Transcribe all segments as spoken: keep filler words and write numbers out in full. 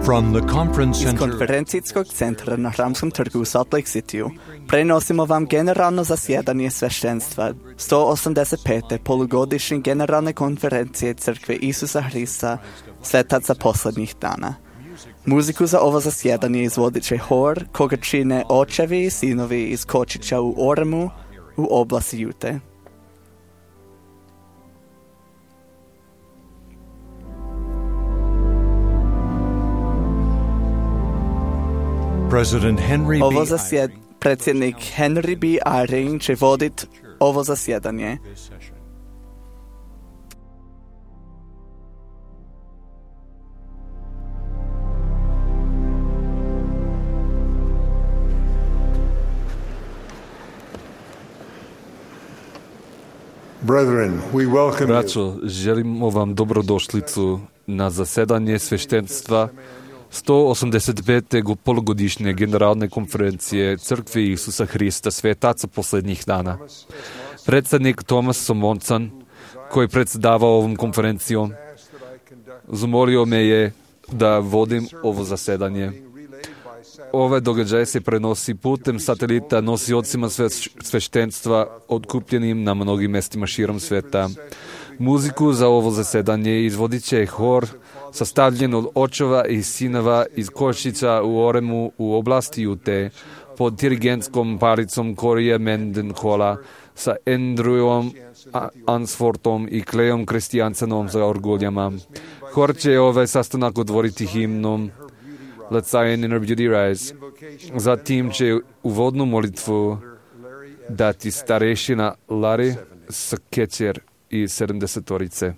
From the conference Iz center konferencijskog centra na Hramskom trgu u Salt Lake Cityu prenosimo vam generalno zasjedanje sveštenstva sto osamdeset pete polugodišnje generalne konferencije Crkve Isusa Hrista Svetaca posljednjih dana. Muziku za ovo zasjedanje izvodit će hor koga čine očevi i sinovi iz Kočića u Oremu u oblasti Jute. President Henry B. Ovo zasjed, predsjednik Henry B. Eyring će voditi ovo zasjedanje. Brethren, we welcome you. Braćo, želimo vam dobrodošlicu na zasedanje sveštenstva sto osamdeset pete polugodišnje generalne konferencije Crkve Isusa Hrista Svetaca posljednjih dana. Predsjednik Thomas Somonson, koji predsjedavao ovom konferencijom, zamolio me je da vodim ovo zasedanje. Ove događaje se prenosi putem satelita nosiocima sveštenstva otkupljenim na mnogim mjestima širom sveta. Muziku za ovo zasedanje izvodit će hor sastavljen od očeva i sinova iz Košića u Oremu u oblasti Jute pod dirigentskom paricom Korija Mendenhola sa Andrewom Ansfortom i Klejom Kristijansenom za orguljama. Hor će ovaj sastanak otvoriti himnom Let Zion in her beauty rise. Zatim će uvodnu molitvu dati starešina Larry Skečer i sedamdesetorice.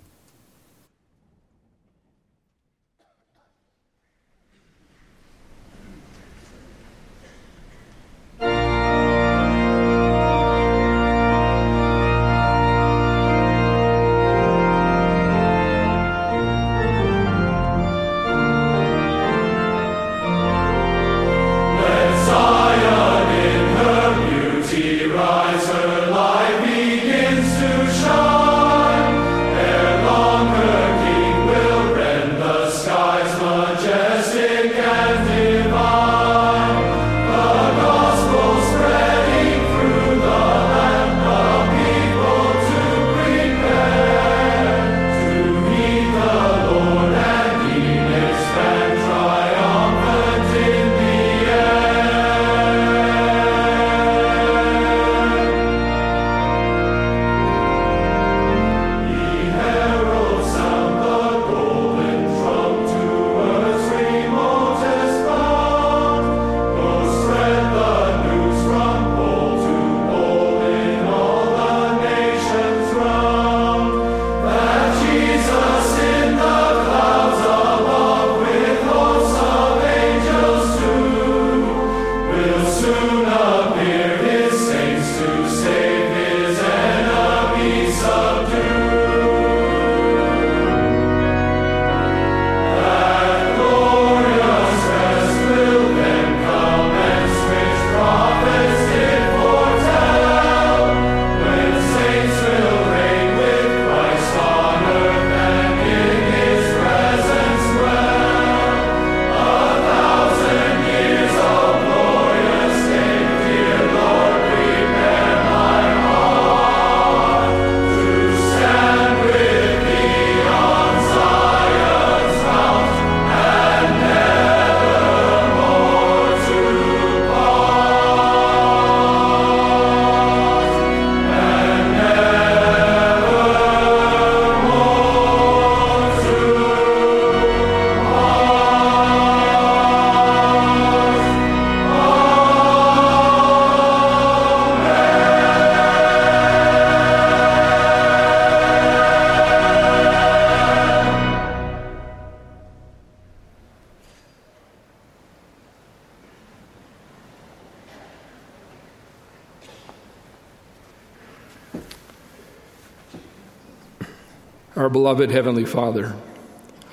Our beloved Heavenly Father,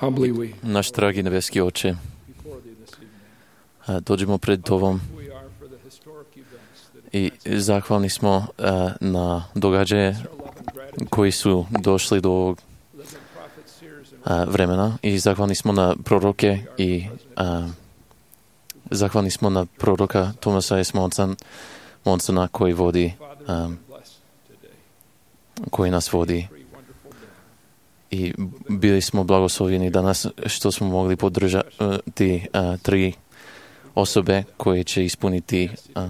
humbly we Naš dragi nebeski Oče, dođemo pred Tobom i zahvalni smo na događaje koji su došli do ovog vremena i zahvalni smo na proroke i a, zahvalni smo na proroka Tomasa S. Monsona koji vodi a, koji nas vodi i bili smo blagoslovljeni danas što smo mogli podržati a, tri osobe koje će ispuniti a,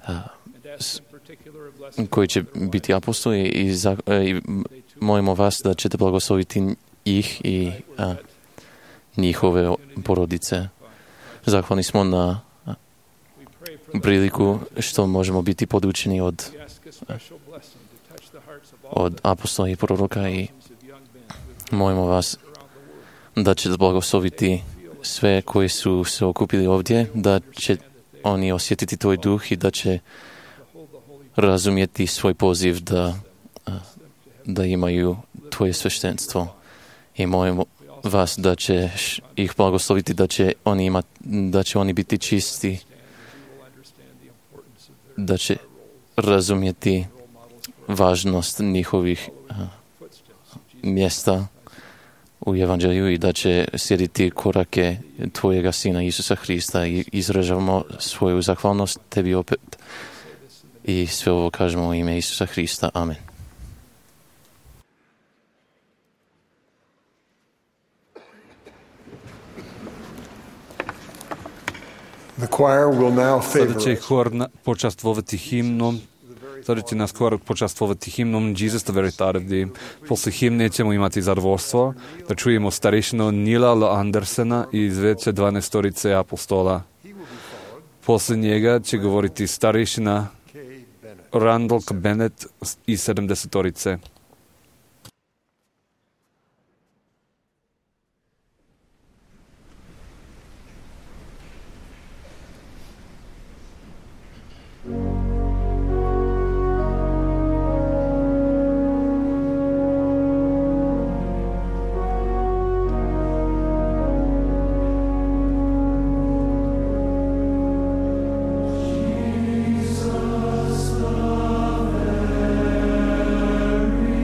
a, s, koji će biti apostoli i, za, i molimo vas da ćete blagosloviti ih i a, njihove porodice. Zahvalni smo na a, priliku što možemo biti podučeni od, a, od apostola i proroka i molimo vas da ćete blagosloviti sve koji su se okupili ovdje, da će oni osjetiti tvoj duh i da će razumjeti svoj poziv da, da imaju tvoje sveštenstvo. I molim vas da će ih blagosloviti, da će oni imati, da će oni biti čisti, da će razumjeti važnost njihovih mjesta u Evanđelju i da će slijediti korake tvojega Sina Isusa Hrista i izražavamo svoju zahvalnost tebi opet i sve ovo kažemo u ime Isusa Hrista. Amen. The choir will now Sada favor će us. hor na- počastvovati himnom. Sada će nas hor počastvovati himnom Jesus the Veritardi. Posle himne ćemo imati zadovoljstvo da čujemo starešinu Nila L. Andersena iz veće dvanaestorice apostola. Posle njega će govoriti starešina Randall K. Bennett iz sedamdesetorice. Jesus, the very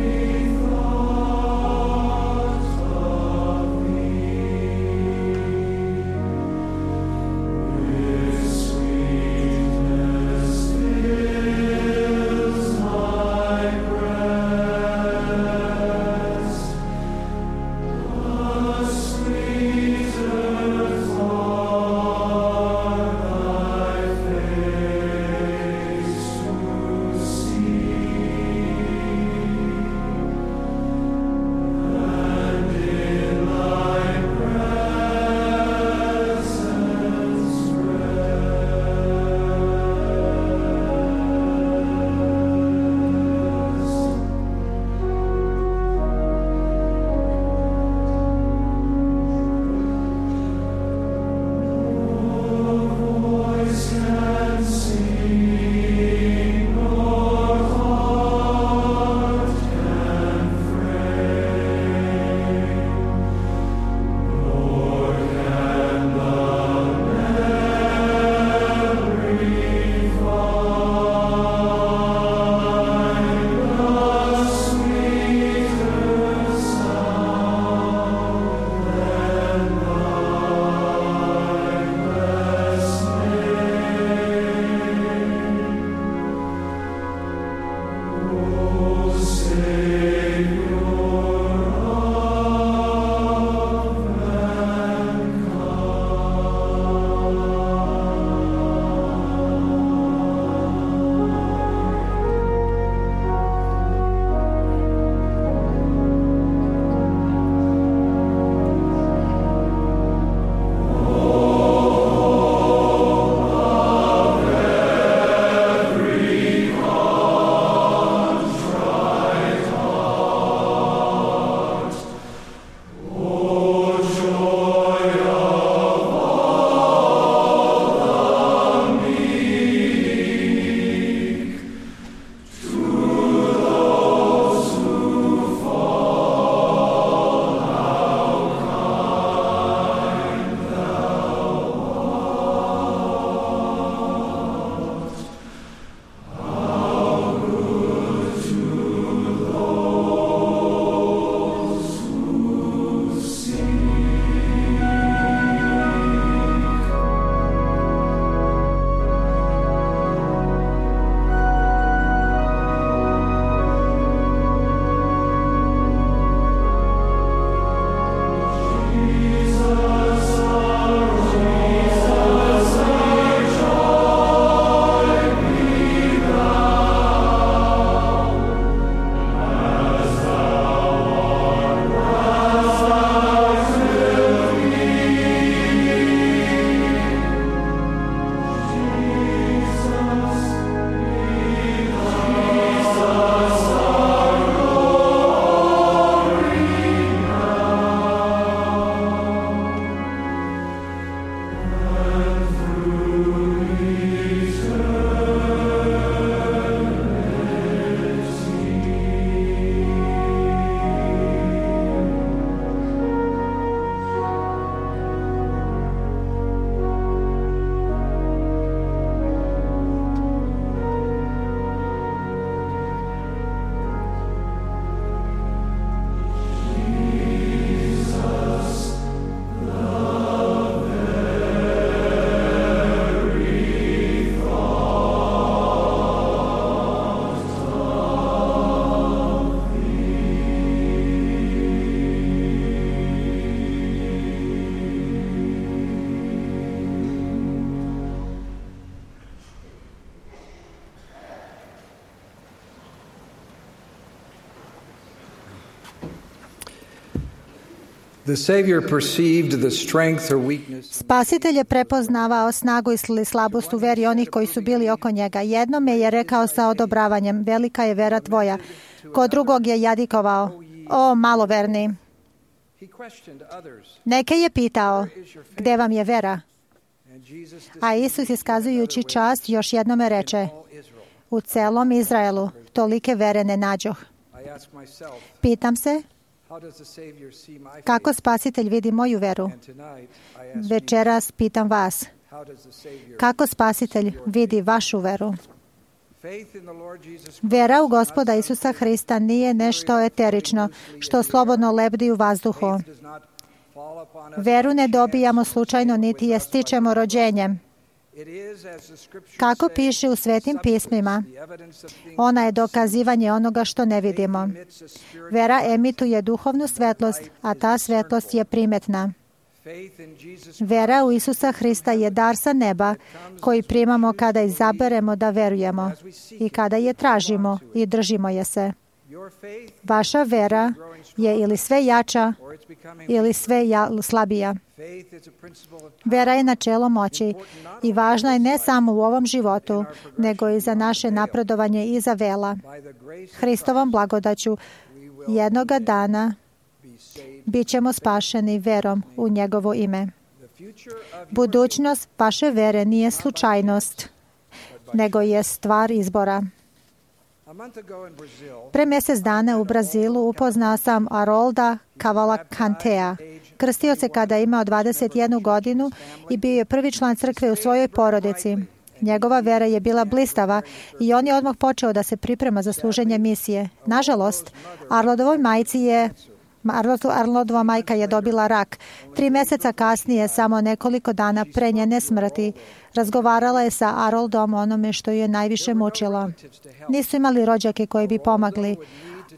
Spasitelj je prepoznavao snagu ili slabost u veri onih koji su bili oko njega. Jednome je rekao sa odobravanjem, velika je vera tvoja. Kod drugog je jadikovao, o maloverni. Neke je pitao, gde vam je vera? A Isus, iskazujući čast, još jednome reče, u celom Izraelu tolike vere ne nađoh. Pitam se, kako Spasitelj vidi moju veru? Večeras pitam vas, kako Spasitelj vidi vašu veru? Vera u Gospoda Isusa Hrista nije nešto eterično, što slobodno lebdi u vazduhu. Veru ne dobijamo slučajno, niti je stičemo rođenjem. Kako piše u Svetim pismima, ona je dokazivanje onoga što ne vidimo. Vera emituje duhovnu svetlost, a ta svetlost je primetna. Vera u Isusa Hrista je dar sa neba koji primamo kada izaberemo da verujemo i kada je tražimo i držimo je se. Vaša vera je ili sve jača ili sve ja, slabija. Vera je načelo moći i važna je ne samo u ovom životu, nego i za naše napredovanje iza vela. Hristovom blagodaću jednoga dana bit ćemo spašeni verom u njegovo ime. Budućnost vaše vere nije slučajnost, nego je stvar izbora. Pre mjesec dana u Brazilu upoznao sam Harolda Cavalcantea. Krstio se kada je imao dvadeset jednu godinu i bio je prvi član crkve u svojoj porodici. Njegova vera je bila blistava i on je odmah počeo da se priprema za služenje misije. Nažalost, Arnoldovoj majci je Arnoldova majka je dobila rak. Tri mjeseca kasnije, samo nekoliko dana pre njene smrti, razgovarala je sa Haroldom o onome što ju je najviše mučilo. Nisu imali rođake koji bi pomagli.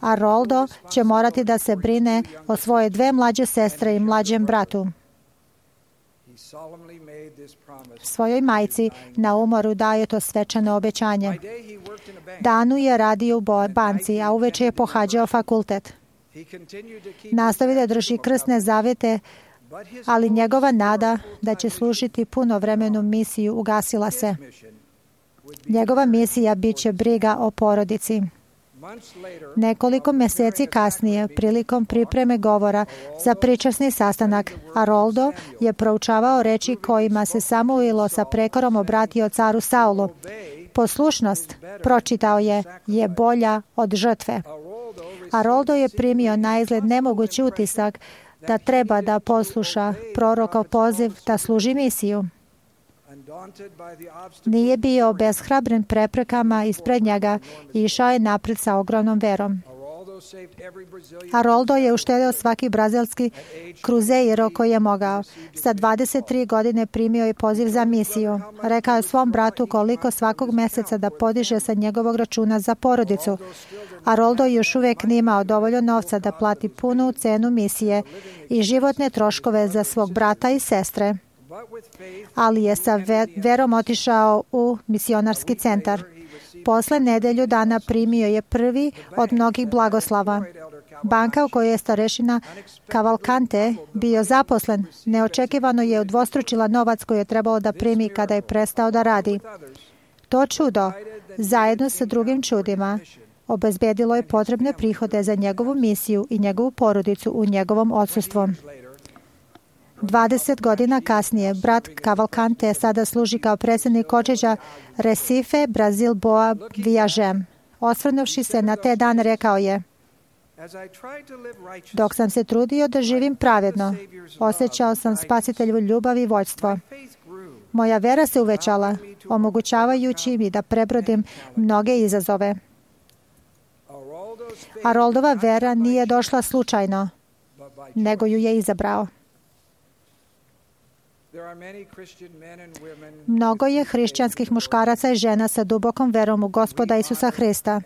Haroldo će morati da se brine o svoje dve mlađe sestre i mlađem bratu. Svojoj majci na umoru daje to svečano obećanje. Danu je radio u banci, a uveče je pohađao fakultet. Nastavi da drži krstne zavete, ali njegova nada da će služiti punovremenu misiju ugasila se. Njegova misija bit će briga o porodici. Nekoliko mjeseci kasnije, prilikom pripreme govora za pričasni sastanak, Haroldo je proučavao reči kojima se Samuilo sa prekorom obratio caru Saulu. Poslušnost, pročitao je, je bolja od žrtve. Haroldo je primio naizgled nemogući utisak da treba da posluša prorokov poziv da služi misiju. Nije bio obeshrabren preprekama ispred njega i išao je napred sa ogromnom verom. Haroldo je uštedeo svaki brazilski kruzeiro koji je mogao. Sa dvadeset tri godine primio je poziv za misiju. Rekao je svom bratu koliko svakog mjeseca da podiže sa njegovog računa za porodicu. Haroldo još uvijek nije imao dovoljno novca da plati punu cenu misije i životne troškove za svog brata i sestre, ali je sa verom otišao u misionarski centar. Posle nedelju dana primio je prvi od mnogih blagoslava. Banka u kojoj je starešina Cavalcante bio zaposlen neočekivano je udvostručila novac koji je trebalo da primi kada je prestao da radi. To čudo, zajedno sa drugim čudima, obezbedilo je potrebne prihode za njegovu misiju i njegovu porodicu u njegovom odsustvu. dvadeset godina kasnije, brat Cavalcante sada služi kao predsjednik kočeđa Recife, Brazil, Boa, Viažem. Osvrnuvši se na te dane, rekao je: dok sam se trudio da živim pravedno, osjećao sam Spasitelju ljubav i vođstvo. Moja vera se uvećala, omogućavajući mi da prebrodim mnoge izazove. Haroldova vera nije došla slučajno, nego ju je izabrao. Mnogo je hrišćanskih muškaraca i žena sa dubokom verom u Gospoda Isusa Hrista.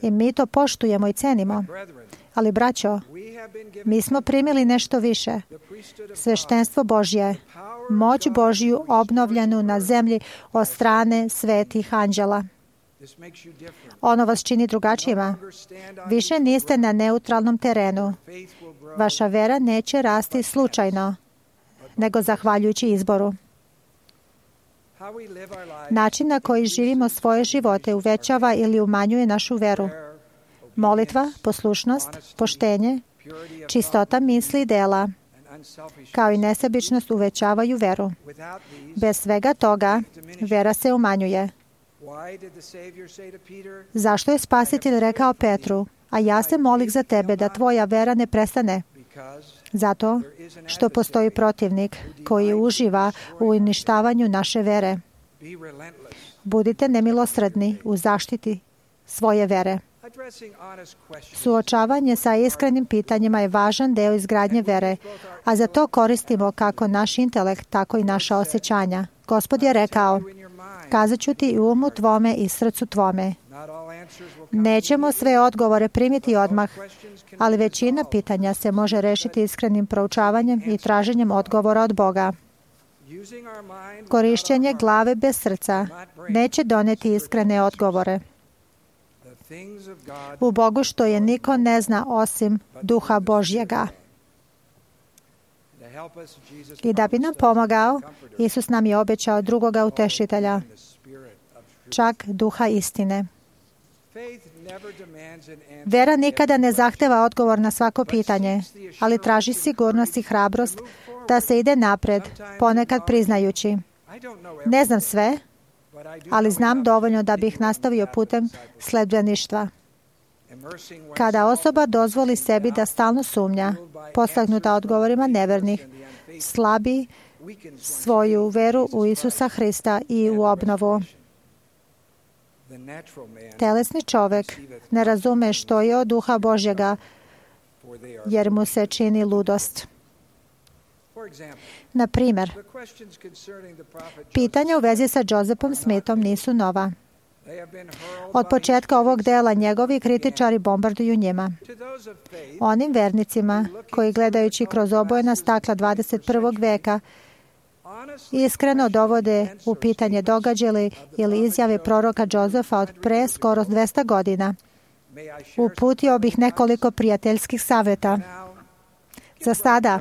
I mi to poštujemo i cenimo. Ali, braćo, mi smo primili nešto više. Sveštenstvo Božje, moć Božju obnovljenu na zemlji od strane svetih anđela. Ono vas čini drugačijima. Više niste na neutralnom terenu. Vaša vera neće rasti slučajno, nego zahvaljujući izboru. Način na koji živimo svoje živote uvećava ili umanjuje našu veru. Molitva, poslušnost, poštenje, čistota misli i dela, kao i nesebičnost uvećavaju veru. Bez svega toga, vera se umanjuje. Zašto je Spasitelj rekao Petru, a ja se molim za tebe da tvoja vera ne prestane? Zato što postoji protivnik koji uživa u uništavanju naše vere. Budite nemilosrdni u zaštiti svoje vere. Suočavanje sa iskrenim pitanjima je važan deo izgradnje vere, a za to koristimo kako naš intelekt, tako i naša osjećanja. Gospod je rekao, kazat ću ti i umu tvome i srcu tvome. Nećemo sve odgovore primiti odmah, ali većina pitanja se može rešiti iskrenim proučavanjem i traženjem odgovora od Boga. Korišćenje glave bez srca neće doneti iskrene odgovore. U Bogu što je niko ne zna osim Duha Božjega. I da bi nam pomogao, Isus nam je obećao drugoga utešitelja, čak Duha istine. Vera nikada ne zahteva odgovor na svako pitanje, ali traži sigurnost i hrabrost da se ide napred, ponekad priznajući. Ne znam sve, ali znam dovoljno da bih nastavio putem sledbeništva. Kada osoba dozvoli sebi da stalno sumnja, postaknuta odgovorima nevernih, slabi svoju veru u Isusa Hrista i u obnovu. Telesni čovek ne razume što je od Duha Božjega, jer mu se čini ludost. Na primjer, pitanja u vezi sa Josephom Smithom nisu nova. Od početka ovog dela njegovi kritičari bombarduju njima. Onim vernicima koji gledajući kroz obojena stakla dvadeset prvog veka iskreno dovode u pitanje događaje ili izjave proroka Josefa od pre skoro dvesta godina. Uputio bih nekoliko prijateljskih savjeta. Za sada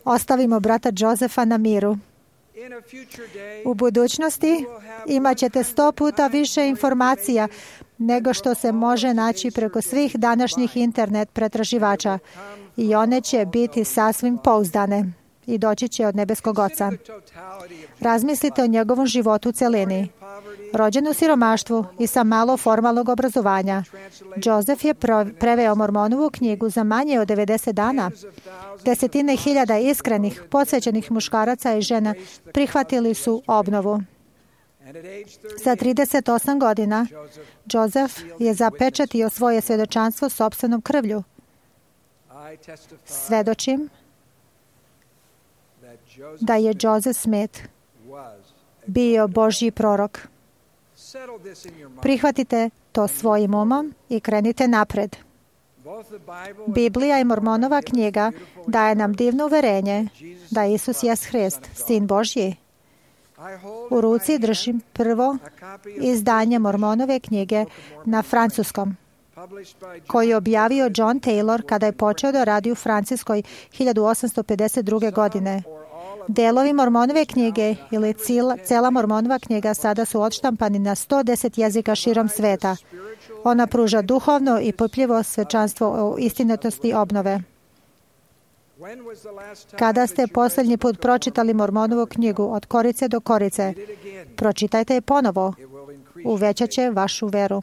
ostavimo brata Josefa na miru. U budućnosti imat ćete sto puta više informacija nego što se može naći preko svih današnjih internet pretraživača i one će biti sasvim pouzdane i doći će od nebeskog Oca. Razmislite o njegovom životu u celini. Rođen u siromaštvu i sa malo formalnog obrazovanja, Joseph je preveo Mormonovu knjigu za manje od devedeset dana. Desetine hiljada iskrenih, posvećenih muškaraca i žena prihvatili su obnovu. Za trideset osam godina Joseph je zapečatio svoje svedočanstvo sopstvenom krvlju. Svedočim da je Joseph Smith bio Božji prorok. Prihvatite to svojim umom i krenite napred. Biblija i Mormonova knjiga daje nam divno uverenje da Isus jest Hrist, Sin Božji. U ruci držim prvo izdanje Mormonove knjige na francuskom, koji je objavio John Taylor kada je počeo da radi u Francuskoj hiljadu osamsto pedeset druge. godine. Delovi Mormonove knjige ili cijela, cela Mormonova knjiga sada su odštampani na sto deset jezika širom sveta. Ona pruža duhovno i popljivo svečanstvo o istinitosti obnove. Kada ste posljednji put pročitali Mormonovu knjigu od korice do korice, pročitajte je ponovo. Uvećat će vašu veru.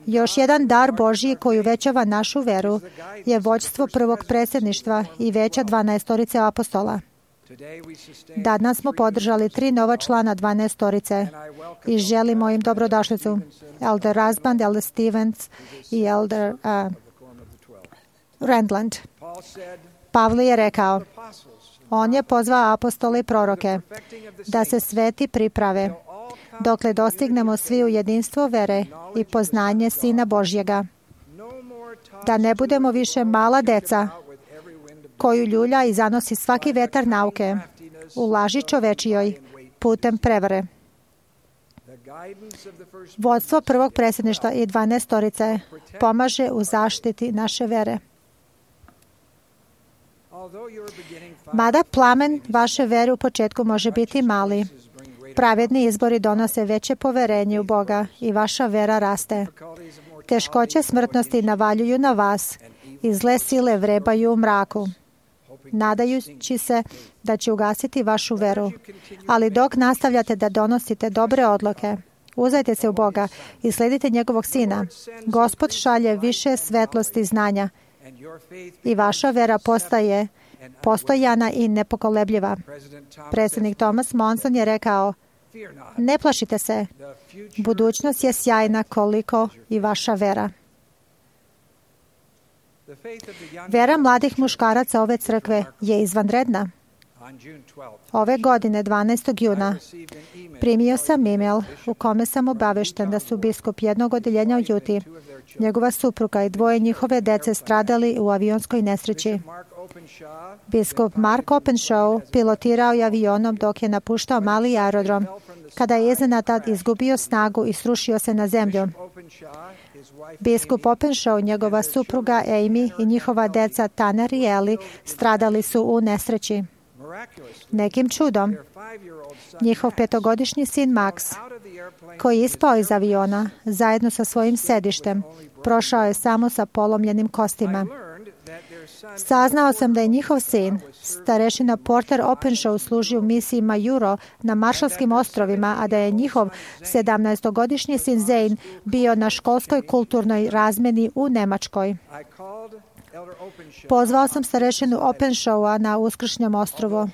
Još jedan dar Božji koji uvećava našu veru je vođstvo prvog predsjedništva i veća dvanaestorice apostola. Danas smo podržali tri nova člana dvanaestorice i želimo im dobrodošlicu. Elder Rasband, Elder Stevens i Elder uh, Randland. Pavle je rekao, on je pozvao apostole i proroke da se sveti priprave dokle dostignemo svi u jedinstvo vere i poznanje Sina Božjega. Da ne budemo više mala deca koju ljulja i zanosi svaki vetar nauke u laži čovečijoj putem prevare. Vodstvo prvog predsjedništva i dvanaestorice pomaže u zaštiti naše vere. Mada plamen vaše vere u početku može biti mali, pravedni izbori donose veće poverenje u Boga i vaša vera raste. Teškoće smrtnosti navaljuju na vas i zle sile vrebaju u mraku, nadajući se da će ugasiti vašu veru. Ali dok nastavljate da donosite dobre odluke, uzdajte se u Boga i sledite njegovog Sina, Gospod šalje više svetlosti i znanja i vaša vera postaje postojana i nepokolebljiva. Predsjednik Thomas Monson je rekao: ne plašite se, budućnost je sjajna koliko i vaša vera. Vera mladih muškaraca ove crkve je izvanredna. Ove godine, dvanaestog juna, primio sam email u kome sam obavešten da su biskup jednog odjeljenja u Juti, njegova supruga i dvoje njihove dece stradali u avionskoj nesreći. Biskup Mark Openshaw pilotirao je avionom dok je napuštao mali aerodrom, kada je iznenada izgubio snagu i srušio se na zemlju. Biskup Openshaw, njegova supruga Amy i njihova deca Tanner i Ellie stradali su u nesreći. Nekim čudom, njihov petogodišnji sin Max, koji je ispao iz aviona zajedno sa svojim sedištem, prošao je samo sa polomljenim kostima. Saznao sam da je njihov sin, starešina Porter Openshaw, služio u misiji Majuro na Maršalskim ostrovima, a da je njihov sedamnaestogodišnji sin Zane bio na školskoj kulturnoj razmeni u Nemačkoj. Pozvao sam starešinu Openshawa na Uskršnjem ostrovu.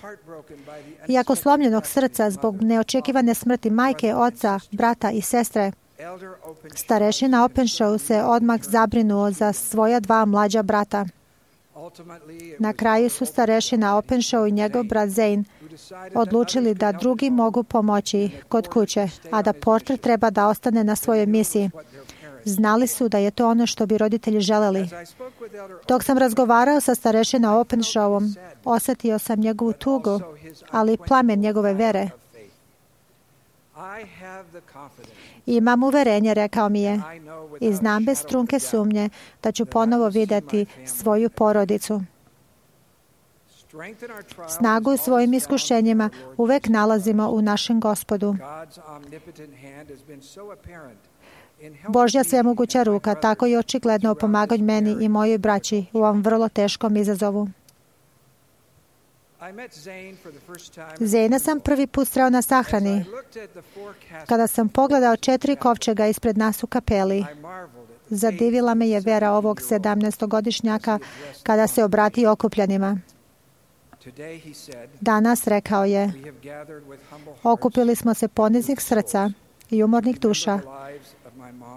Iako slomljenog srca zbog neočekivane smrti majke, oca, brata i sestre, starešina Openshaw se odmah zabrinuo za svoja dva mlađa brata. Na kraju su starešina Openshaw i njegov brat Zane odlučili da drugi mogu pomoći kod kuće, a da Porter treba da ostane na svojoj misiji. Znali su da je to ono što bi roditelji želeli. Dok sam razgovarao sa starešinom Openshawom, osjetio sam njegovu tugu, ali i plamen njegove vere. Imam uverenje, rekao mi je, i znam bez trunke sumnje da ću ponovo vidjeti svoju porodicu. Snagu u svojim iskušenjima uvek nalazimo u našem Gospodu. Božja svemoguća ruka tako je očigledno pomagao meni i mojoj braći u ovom vrlo teškom izazovu. Zena sam prvi put sreo na sahrani. Kada sam pogledao četiri kovčega ispred nas u kapeli, zadivila me je vera ovog sedamnaestogodišnjaka kada se obratio okupljanima. Danas, rekao je, okupili smo se poniznih srca i umornih duša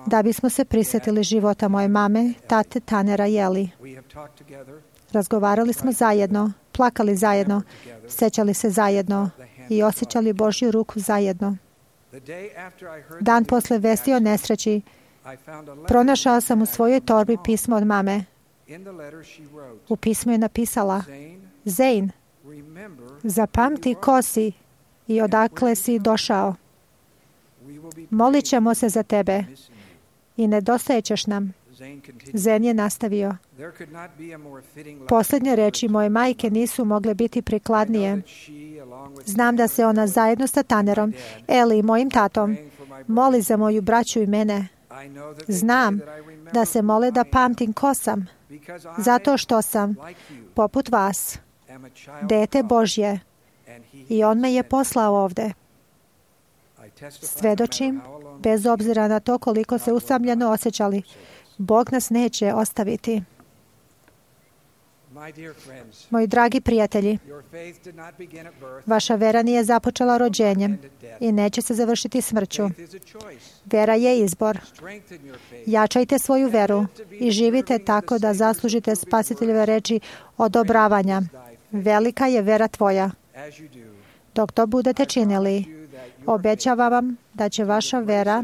da bismo se prisjetili života moje mame, tate Tannera i Ellie. Razgovarali smo zajedno, plakali zajedno, sećali se zajedno i osjećali Božju ruku zajedno. Dan posle vesti o nesreći, pronašao sam u svojoj torbi pismo od mame. U pismu je napisala: Zane, zapamti ko si i odakle si došao. Molit ćemo se za tebe i nedostajećeš nam. Zen je nastavio: posljednje reči moje majke nisu mogle biti prikladnije. Znam da se ona zajedno sa Tannerom, Eli i mojim tatom moli za moju braću i mene. Znam da se mole da pamtim ko sam, zato što sam, poput vas, dete Božje i on me je poslao ovde. Svedočim, bez obzira na to koliko se usamljeno osjećali, Bog nas neće ostaviti. Moji dragi prijatelji, vaša vera nije započela rođenjem i neće se završiti smrću. Vera je izbor. Jačajte svoju veru i živite tako da zaslužite Spasiteljeve reči odobravanja. Velika je vera tvoja. Dok to budete činili, obećavam vam da će vaša vera,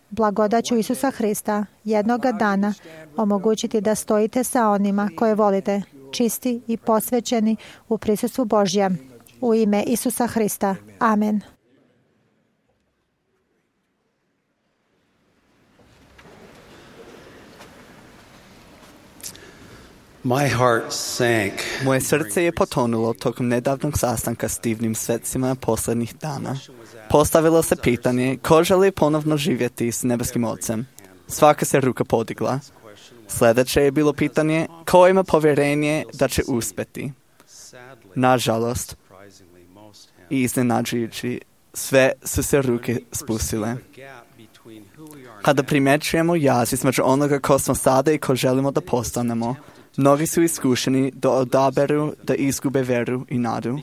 blagodaću Isusa Hrista, jednoga dana omogućiti da stojite sa onima koje volite, čisti i posvećeni u prisustvu Božjem. U ime Isusa Hrista. Amen. My heart sank. Moje srce je potonulo tokom nedavnog sastanka s divnim svecima posljednjih dana. Postavilo se pitanje ko želi ponovno živjeti s nebeskim Ocem. Svaka se ruka podigla. Sljedeće je bilo pitanje ko ima povjerenje da će uspjeti. Nažalost, i iznenađujući, sve su se ruke spustile. Kada primjećujemo jaz između onoga ko smo sada i ko želimo da postanemo, mnogi su iskušeni da odaberu da izgube veru i nadu.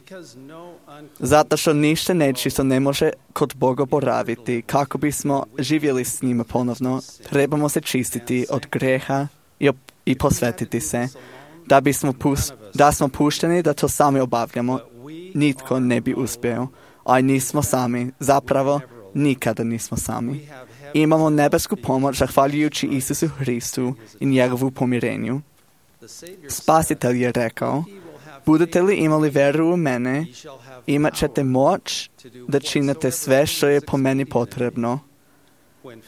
Zato što ništa nečisto ne može kod Boga boraviti, kako bismo živjeli s njima ponovno, trebamo se čistiti od greha i, op- i posvetiti se. Da, bismo pust- da smo pušteni da to sami obavljamo, nitko ne bi uspio. A nismo sami, zapravo nikada nismo sami. Imamo nebesku pomoć zahvaljujući Isusu Hristu i njegovu pomirenju. Spasitelj je rekao, budete li imali veru u mene, imat ćete moć da činite sve što je po meni potrebno.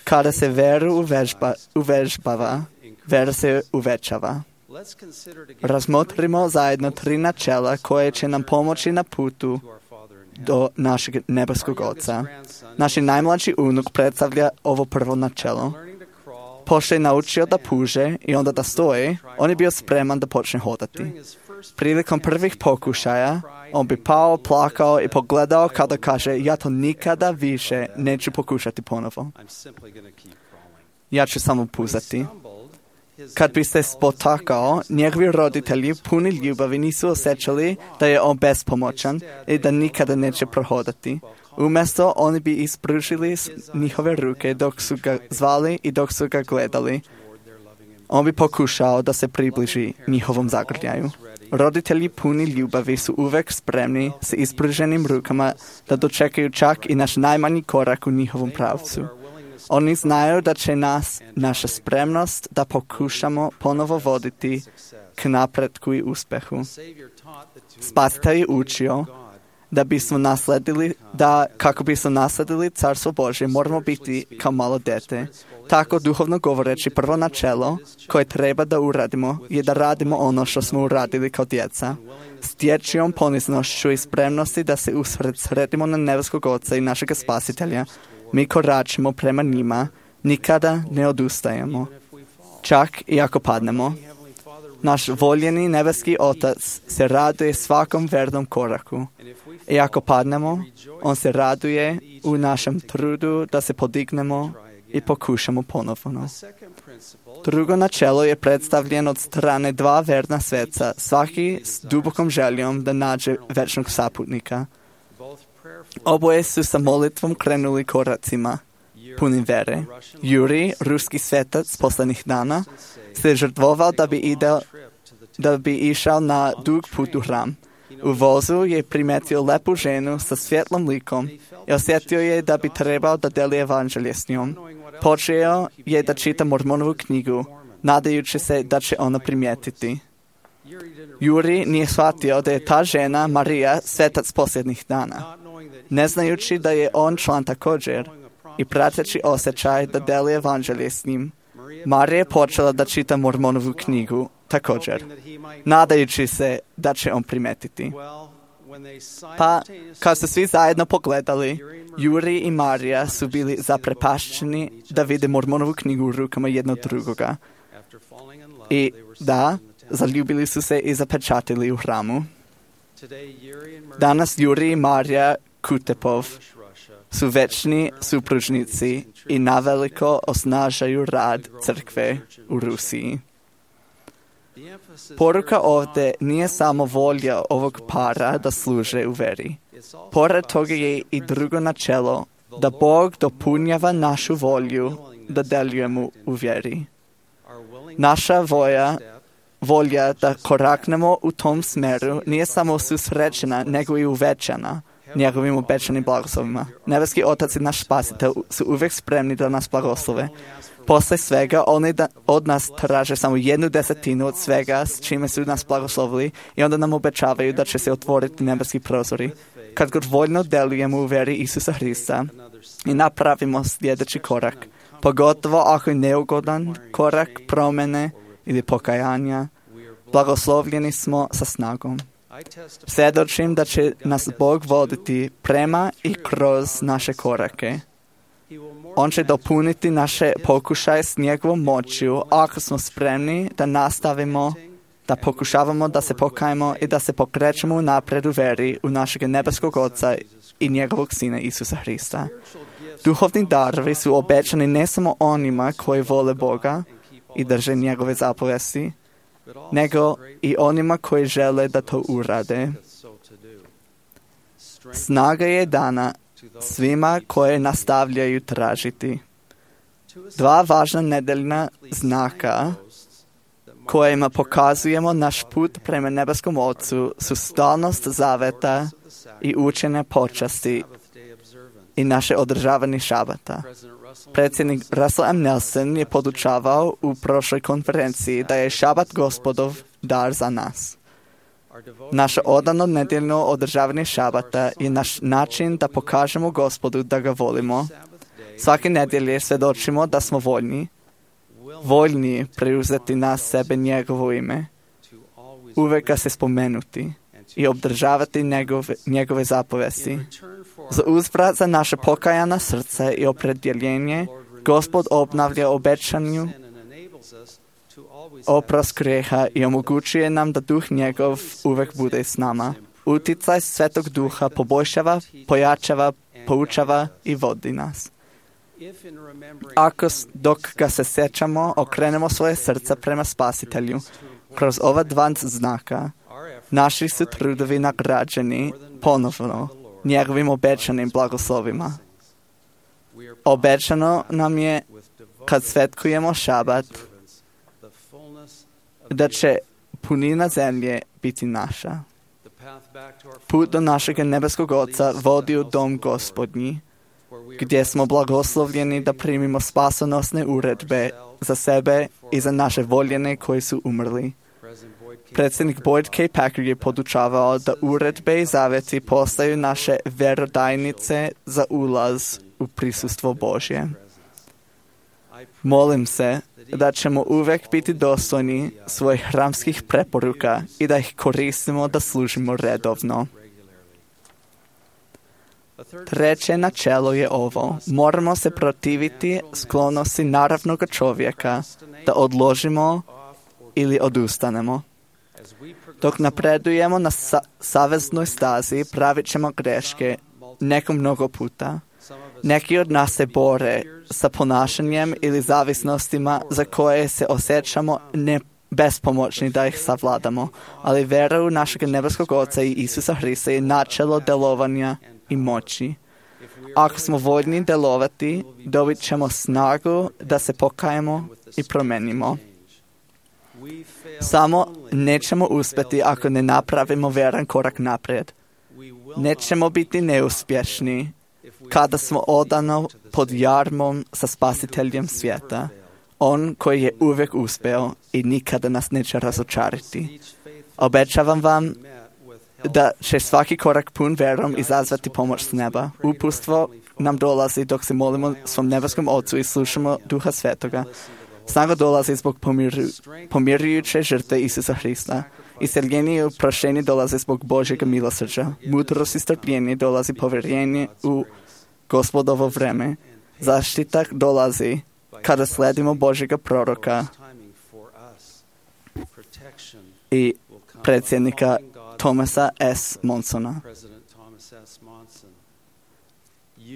Kada se veru uvežba, uvežbava, vera se uvećava. Razmotrimo zajedno tri načela koje će nam pomoći na putu do našeg nebeskog Oca. Naš najmlađi unuk predstavlja ovo prvo načelo. Pošto je naučio da puže i onda da stoji, on je bio spreman da počne hodati. Prilikom prvih pokušaja, on bi pao, plakao i pogledao kada kaže, ja to nikada više neću pokušati ponovo. Ja ću samo puzati. Kad bi se spotakao, njegovi roditelji puni ljubavi nisu osjećali da je on bespomoćan i da nikada neće prohodati. Umjesto, oni bi ispružili njihove ruke dok su ga zvali i dok su ga gledali. On bi pokušao da se približi njihovom zagrljaju. Roditelji puni ljubavi su uvek spremni s ispruženim rukama da dočekaju čak i naš najmanji korak u njihovom pravcu. Oni znaju da će nas, naša spremnost da pokušamo ponovo voditi k napretku i uspjehu. Spasitelj je učio da bismo nasledili, da kako bismo nasledili Carstvo Božje, moramo biti kao malo dete. Tako, duhovno govoreći, prvo načelo koje treba da uradimo je da radimo ono što smo uradili kao djeca. S dječjom poniznošću i spremnosti da se usred sredimo na nebeskog Oca i našega Spasitelja, mi koračimo prema njima, nikada ne odustajemo. Čak i ako padnemo, naš voljeni nebeski Otac se raduje svakom vernom koraku. I ako padnemo, on se raduje u našem trudu da se podignemo i pokušamo ponovno. Drugo načelo je predstavljeno od strane dva verna sveca, svaki s dubokom željom da nađe večnog saputnika. Oboje su sa molitvom krenuli koracima, punim vere. Juri, ruski svetac posljednjih dana, se žrtvovao da bi, ide, da bi išao na dug put u hram. U vozu je primetio lepu ženu sa svjetlom likom i osjetio je da bi trebao da deli evanđelje s njom. Počeo je da čita Mormonovu knjigu, nadajući se da će ona primijetiti. Juri nije shvatio da je ta žena, Marija, svetac posljednjih dana. Ne znajući da je on član također i prateći osjećaj da deli evanđelje s njim, Marija je počela da čita Mormonovu knjigu također, nadajući se da će on primetiti. Pa, kad su svi zajedno pogledali, Juri i Marija su bili zaprepašćeni da vide Mormonovu knjigu u rukama jednog drugoga. I da, zaljubili su se i zapečatili u hramu. Danas Juri i Marija Kutepov su večni supružnici i naveliko osnažaju rad crkve u Rusiji. Poruka ovdje nije samo volja ovog para da služe u veri. Pored toga je i drugo načelo, da Bog dopunjava našu volju da delujemo u vjeri. Naša volja, volja da koraknemo u tom smeru nije samo susrećena, nego i uvećana njegovim obećanim blagoslovima. Nebeski Otac i naš Spasitelj su uvijek spremni da nas blagoslove. Posle svega, oni da, od nas traže samo jednu desetinu od svega s čime su nas blagoslovili i onda nam obećavaju da će se otvoriti nebeski prozori. Kad god voljno delujemo u veri Isusa Hrista i napravimo sljedeći korak, pogotovo ako je neugodan korak promjene ili pokajanja, Blagoslovljeni smo sa snagom. Svjedočim da će nas Bog voditi prema i kroz naše korake. On će dopuniti naše pokušaje s njegovom moću ako smo spremni da nastavimo, da pokušavamo da se pokajemo i da se pokrećemo napred u veri u našeg nebeskog Oca i njegovog Sina Isusa Hrista. Duhovni darovi su obećani ne samo onima koji vole Boga i drže njegove zapovesti, nego i onima koji žele da to urade. Snaga je dana svima koje nastavljaju tražiti. Dva važna nedeljna znaka kojima pokazujemo naš put prema nebeskom Ocu su stalnost zaveta i učenje počasti i naše održavanje šabata. Predsjednik Russell M. Nelson je podučavao u prošloj konferenciji da je šabat Gospodov dar za nas. Naše odano nedeljno održavanje šabata je naš način da pokažemo Gospodu da ga volimo. Svake nedjelje svjedočimo da smo voljni, voljni preuzeti na sebe njegovo ime, uvek ga se spomenuti i obdržavati njegove, njegove zapovesti. Za uzvrat za naše pokajana srce i opredjeljenje, Gospod obnavlja obećanju oprost grijeha i omogućuje nam da duh njegov uvek bude s nama. Uticaj Svetog Duha poboljšava, pojačava, poučava i vodi nas. Ako dok ga se sjećamo, okrenemo svoje srca prema Spasitelju, kroz ova dva znaka, naši su trudovi nagrađeni ponovno njegovim obećanim blagoslovima. Obećano nam je, kad svetkujemo šabat, da će punina zemlje biti naša. Put do našeg nebeskog Oca vodi u dom Gospodnji, gdje smo blagoslovljeni da primimo spasonosne uredbe za sebe i za naše voljene koji su umrli. Predsjednik Boyd K. Packer je podučavao da uredbe i zaveti postaju naše vjerodajnice za ulaz u prisustvo Božje. Molim se da ćemo uvek biti dostojni svojih hramskih preporuka i da ih koristimo da služimo redovno. Treće načelo je ovo. Moramo se protiviti sklonosti naravnog čovjeka da odložimo ili odustanemo. Dok napredujemo na sa- saveznoj stazi, pravit ćemo greške neko mnogo puta. Neki od nas se bore sa ponašanjem ili zavisnostima za koje se osjećamo ne bespomoćni da ih savladamo, ali vera u našeg nebeskog Oca i Isusa Hrista je načelo delovanja i moći. Ako smo voljni delovati, dobit ćemo snagu da se pokajemo i promenimo. Samo nećemo uspjeti ako ne napravimo vjeran korak naprijed. Nećemo biti neuspješni kada smo odano pod jarmom sa Spasiteljem svijeta. On koji je uvijek uspeo i nikada nas neće razočariti. Obećavam vam da će svaki korak pun vjerom izazvati pomoć s neba. Upustvo nam dolazi dok se molimo svom nebeskom Ocu i slušamo Duha Svetoga. Snaga dolazi zbog pomiru, pomirujuće žrtve Isusa Hrista. Isceljenje i oproštenje dolazi zbog Božjeg milosrđa. Mudrost i strpljenje dolazi povjerenje u Gospodovo vreme. Zaštita dolazi kada sledimo Božjega proroka i predsjednika Thomasa S. Monsona.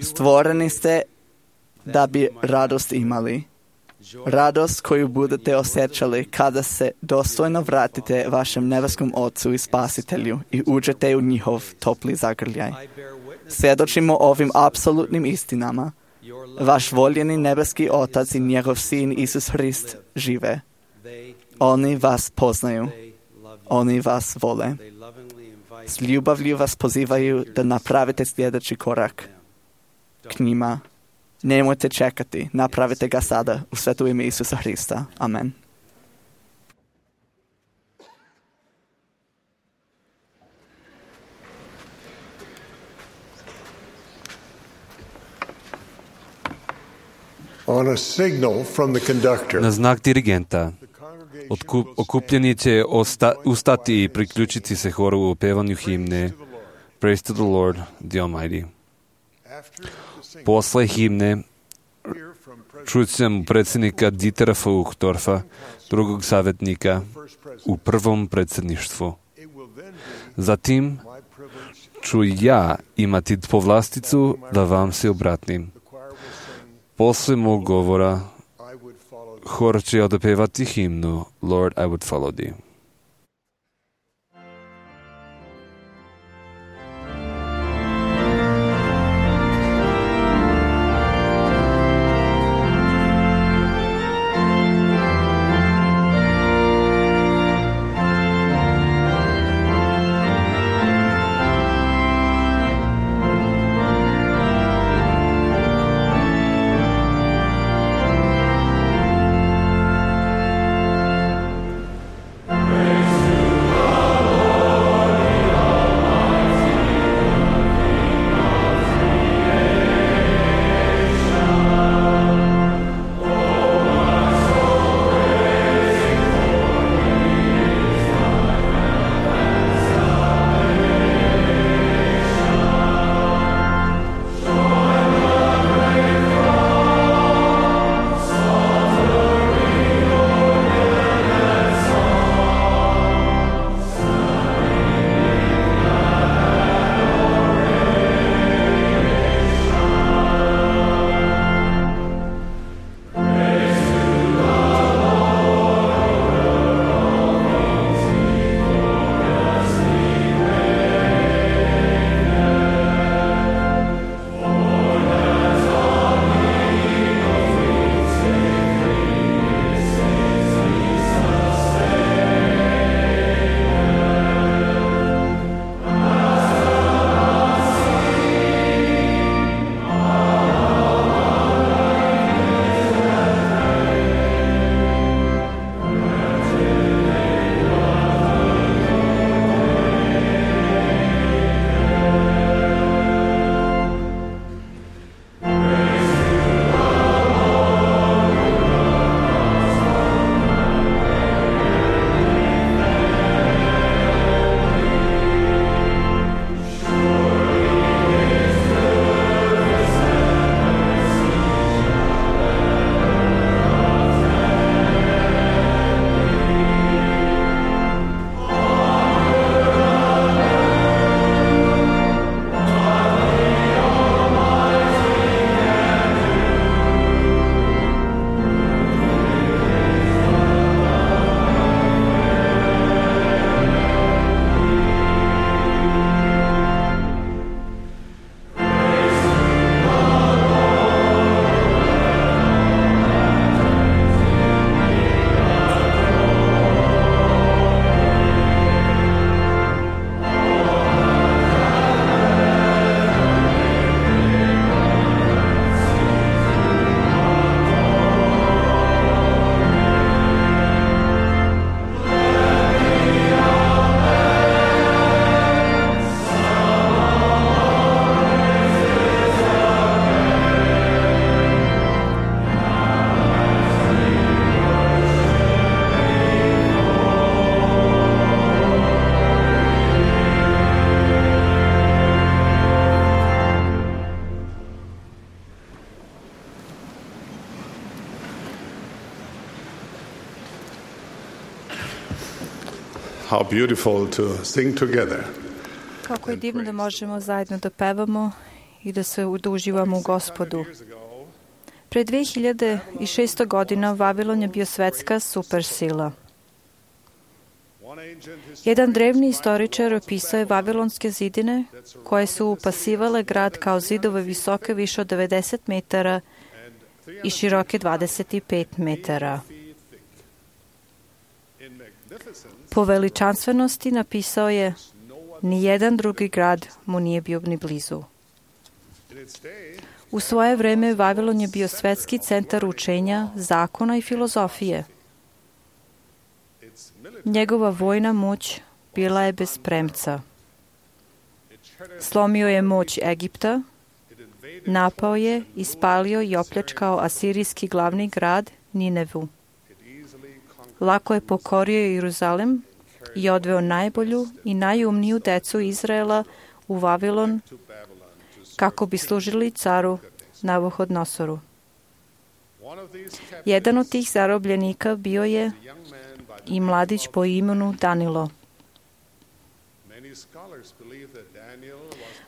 Stvoreni ste da bi radost imali. Radost koju budete osjećali kada se dostojno vratite vašem nebeskom Ocu i Spasitelju i uđete u njihov topli zagrljaj. Svjedočimo ovim apsolutnim istinama. Vaš voljeni nebeski Otac i njegov Sin Isus Hrist žive. Oni vas poznaju. Oni vas vole. S ljubavlju vas pozivaju da napravite sljedeći korak k njima. Nemojte čekati, napravite ga sada u sveto ime Isusa Hrista. Amen. On a signal from the conductor, На знак диригента Otkup, okupljeni će osta, ustati i priključiti se horu u pevanju himne Praise to the Lord, the Almighty. Posle himne čućemo predsjednika Dietera Feuchtdorfa, drugog savjetnika u prvom predsjedništvu. Zatim ću ja imati povlasticu da vam se obratim. Posle mog govora hor će odpevati himnu Lord, I would follow thee. How beautiful to sing together. Kako je divno da možemo zajedno da pevamo i da se uživamo u Gospodu. Pre dve hiljade šesto godina Vavilon je bio svetska supersila. Jedan drevni istoričar opisao je vavilonske zidine koje su upasivale grad kao zidove visoke više od devedeset metara i široke dvadeset pet metara. Po veličanstvenosti napisao je: ni jedan drugi grad mu nije bio ni blizu. U svoje vreme Vavilon je bio svetski centar učenja, zakona i filozofije. Njegova vojna moć bila je bez premca. Slomio je moć Egipta, napao je, ispalio i opljačkao asirijski glavni grad Ninevu. lako je pokorio Jeruzalem i odveo najbolju i najumniju decu Izraela u Vavilon kako bi služili caru Navuhodnosoru. Jedan od tih zarobljenika bio je i mladić po imenu Danilo.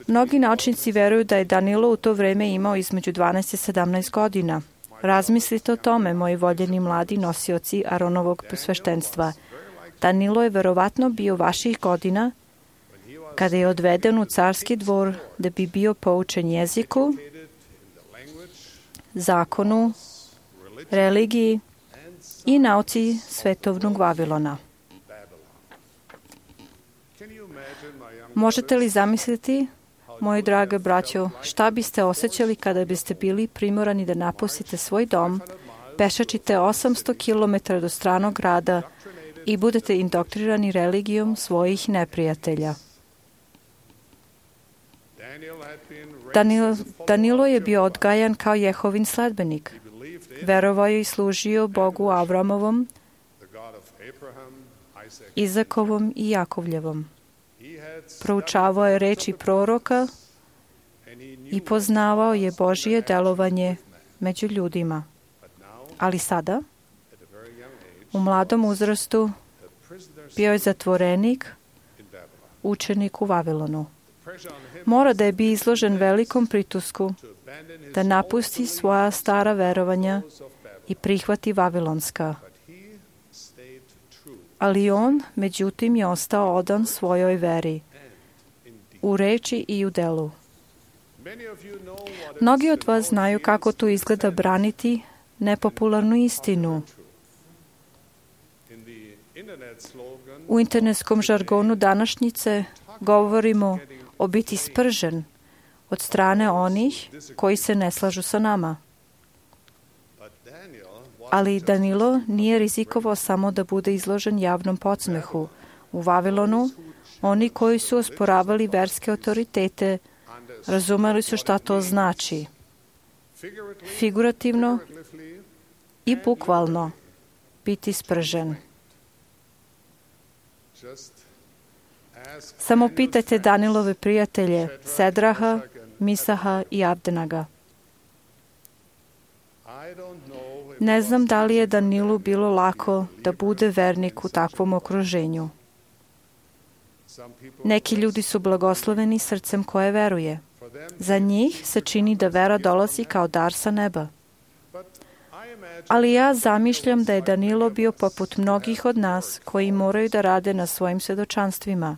Mnogi naučnici veruju da je Danilo u to vreme imao između dvanaest i sedamnaest godina. Razmislite o tome, moji voljeni mladi nosioci Aronovog sveštenstva. Danilo je verovatno bio vaših godina kada je odveden u carski dvor da bi bio poučen jeziku, zakonu, religiji i nauci svetovnog Vavilona. Možete li zamisliti, moji drage braćo, šta biste osjećali kada biste bili primorani da napustite svoj dom, pešačite osamsto kilometara do stranog grada i budete indoktrinirani religijom svojih neprijatelja? Danilo, Danilo je bio odgajan kao Jehovin sledbenik. Verovao je i služio Bogu Avramovom, Izakovom i Jakovljevom. Proučavao je reči proroka i poznavao je Božije delovanje među ljudima. Ali sada, u mladom uzrastu, bio je zatvorenik, učenik u Vavilonu. Mora da je bio izložen velikom pritisku da napusti svoja stara verovanja i prihvati vavilonska. Ali on, međutim, je ostao odan svojoj veri, u reči i u delu. Mnogi od vas znaju kako to izgleda braniti nepopularnu istinu. U internetskom žargonu današnjice govorimo o biti spržen od strane onih koji se ne slažu sa nama. Ali Danilo nije rizikovao samo da bude izložen javnom podsmehu. U Vavilonu, oni koji su osporavali verske autoritete razumeli su šta to znači. Figurativno i bukvalno biti spržen. Samo pitajte Danilove prijatelje Sedraha, Misaha i Abdenaga. Ne znam da li je Danilu bilo lako da bude vernik u takvom okruženju. Neki ljudi su blagosloveni srcem koje veruje. Za njih se čini da vera dolazi kao dar sa neba. Ali ja zamišljam da je Danilo bio poput mnogih od nas koji moraju da rade na svojim svedočanstvima.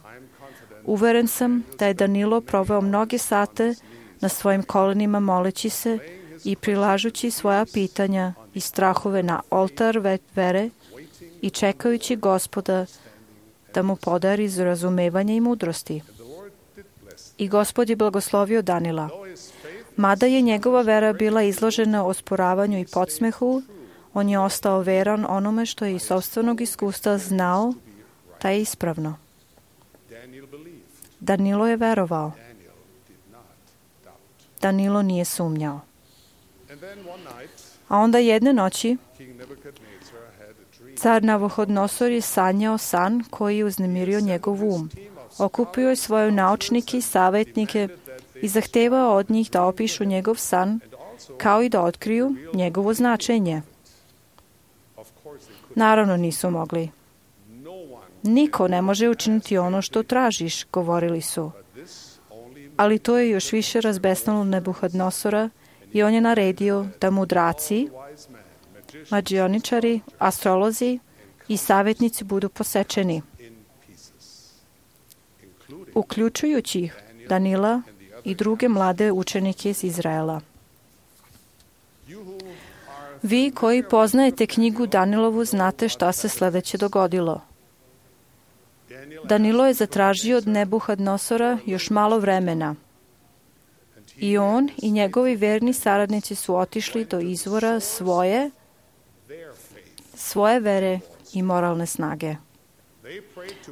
Uveren sam da je Danilo proveo mnoge sate na svojim kolenima moleći se i prilažući svoja pitanja i strahove na oltar vere i čekajući Gospoda da mu podari razumevanje i mudrosti. I Gospod je blagoslovio Danila. Mada je njegova vera bila izložena osporavanju i podsmehu, on je ostao veran onome što je iz sopstvenog iskustva znao da je ispravno. Danilo je verovao. Danilo nije sumnjao. A onda jedne noći car Navuhodnosor je sanjao san koji je uznemirio njegov um. Okupio je svoje naučnike i savjetnike i zahtevao od njih da opišu njegov san, kao i da otkriju njegovo značenje. Naravno nisu mogli. Niko ne može učiniti ono što tražiš, govorili su. Ali to je još više razbesnalo Navuhodnosora i on je naredio da mudraci, mađioničari, astrolozi i savjetnici budu posečeni, uključujući Danila i druge mlade učenike iz Izraela. Vi koji poznajete knjigu Danilovu znate šta se sljedeće dogodilo. Danilo je zatražio od Navuhodnosora još malo vremena. I on i njegovi verni saradnici su otišli do izvora svoje, svoje vere i moralne snage.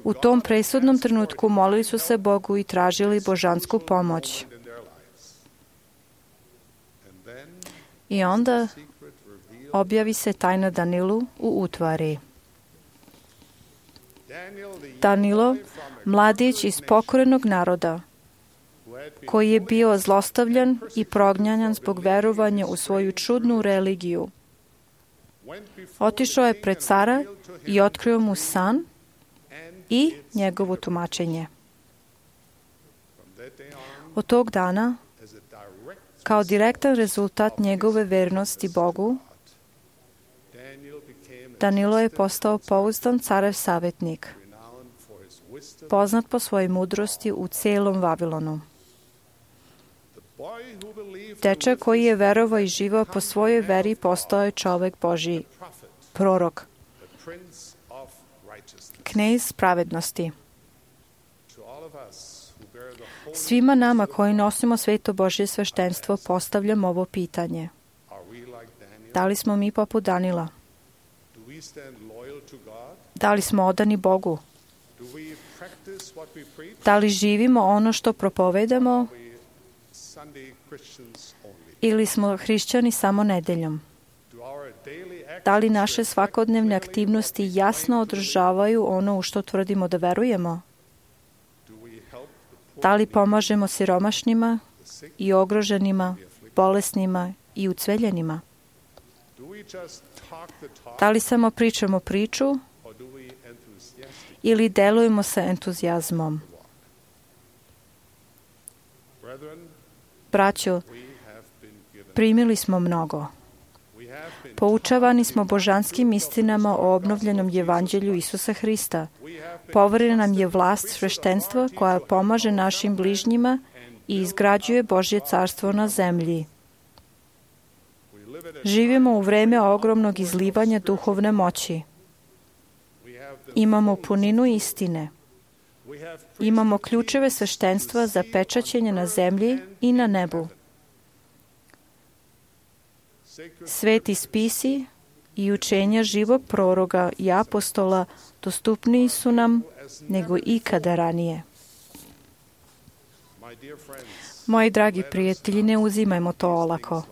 U tom presudnom trenutku molili su se Bogu i tražili božansku pomoć. I onda objavi se tajna Danilu u utvari. Danilo, mladić iz pokorenog naroda, koji je bio zlostavljan i prognjan zbog verovanja u svoju čudnu religiju. Otišao je pred cara i otkrio mu san i njegovo tumačenje. Od tog dana, kao direktan rezultat njegove vernosti Bogu, Danilo je postao pouzdan carev savjetnik, poznat po svojoj mudrosti u celom Vavilonu. Dečak koji je verovao i živao po svojoj veri postao je čovek Božji, prorok, knez pravednosti. Svima nama koji nosimo sveto Božje sveštenstvo postavljam ovo pitanje. Da li smo mi poput Danila? Da li smo odani Bogu? Da li živimo ono što propovedamo ili smo hrišćani samo nedeljom? Da li naše svakodnevne aktivnosti jasno održavaju ono u što tvrdimo da verujemo? Da li pomažemo siromašnima i ogroženima, bolesnima i ucveljenima? Da li samo pričamo priču ili delujemo sa entuzijazmom? Braćo, primili smo mnogo. Poučavani smo božanskim istinama o obnovljenom evanđelju Isusa Hrista. Poverena nam je vlast sveštenstva koja pomaže našim bližnjima i izgrađuje Božje carstvo na zemlji. Živimo u vreme ogromnog izlivanja duhovne moći. Imamo puninu istine. Imamo ključeve sveštenstva za pečaćenje na zemlji i na nebu. Sveti spisi i učenja živog proroga i apostola dostupniji su nam nego ikada ranije. Moji dragi prijatelji, ne uzimajmo to olako.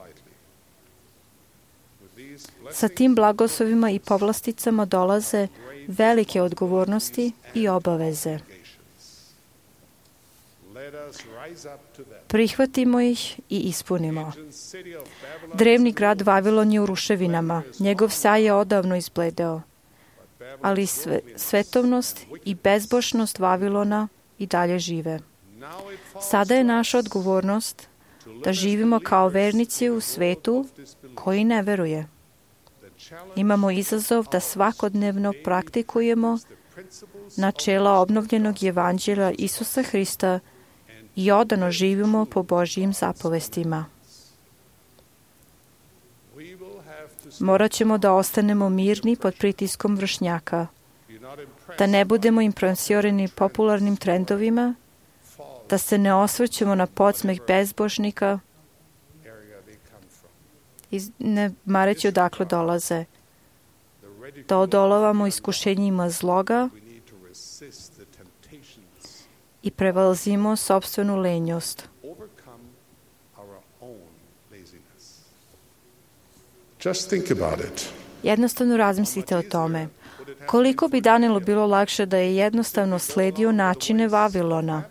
Sa tim blagoslovima i povlasticama dolaze velike odgovornosti i obaveze. Prihvatimo ih i ispunimo. Drevni grad Vavilon je u ruševinama. Njegov sjaj je odavno izbledeo. Ali sve, svetovnost i bezbožnost Vavilona i dalje žive. Sada je naša odgovornost da živimo kao vernici u svetu koji ne veruje. Imamo izazov da svakodnevno praktikujemo načela obnovljenog evanđelja Isusa Hrista i odano živimo po Božjim zapovestima. Morat ćemo da ostanemo mirni pod pritiskom vršnjaka, da ne budemo impresionirani popularnim trendovima, da se ne osvrćemo na podsmeh bezbožnika i ne mareći odakle dolaze, da odolavamo iskušenjima zloga i prevalzimo sopstvenu lenjost. Jednostavno razmislite o tome. Koliko bi Danielu bilo lakše da je jednostavno sledio načine Vavilona?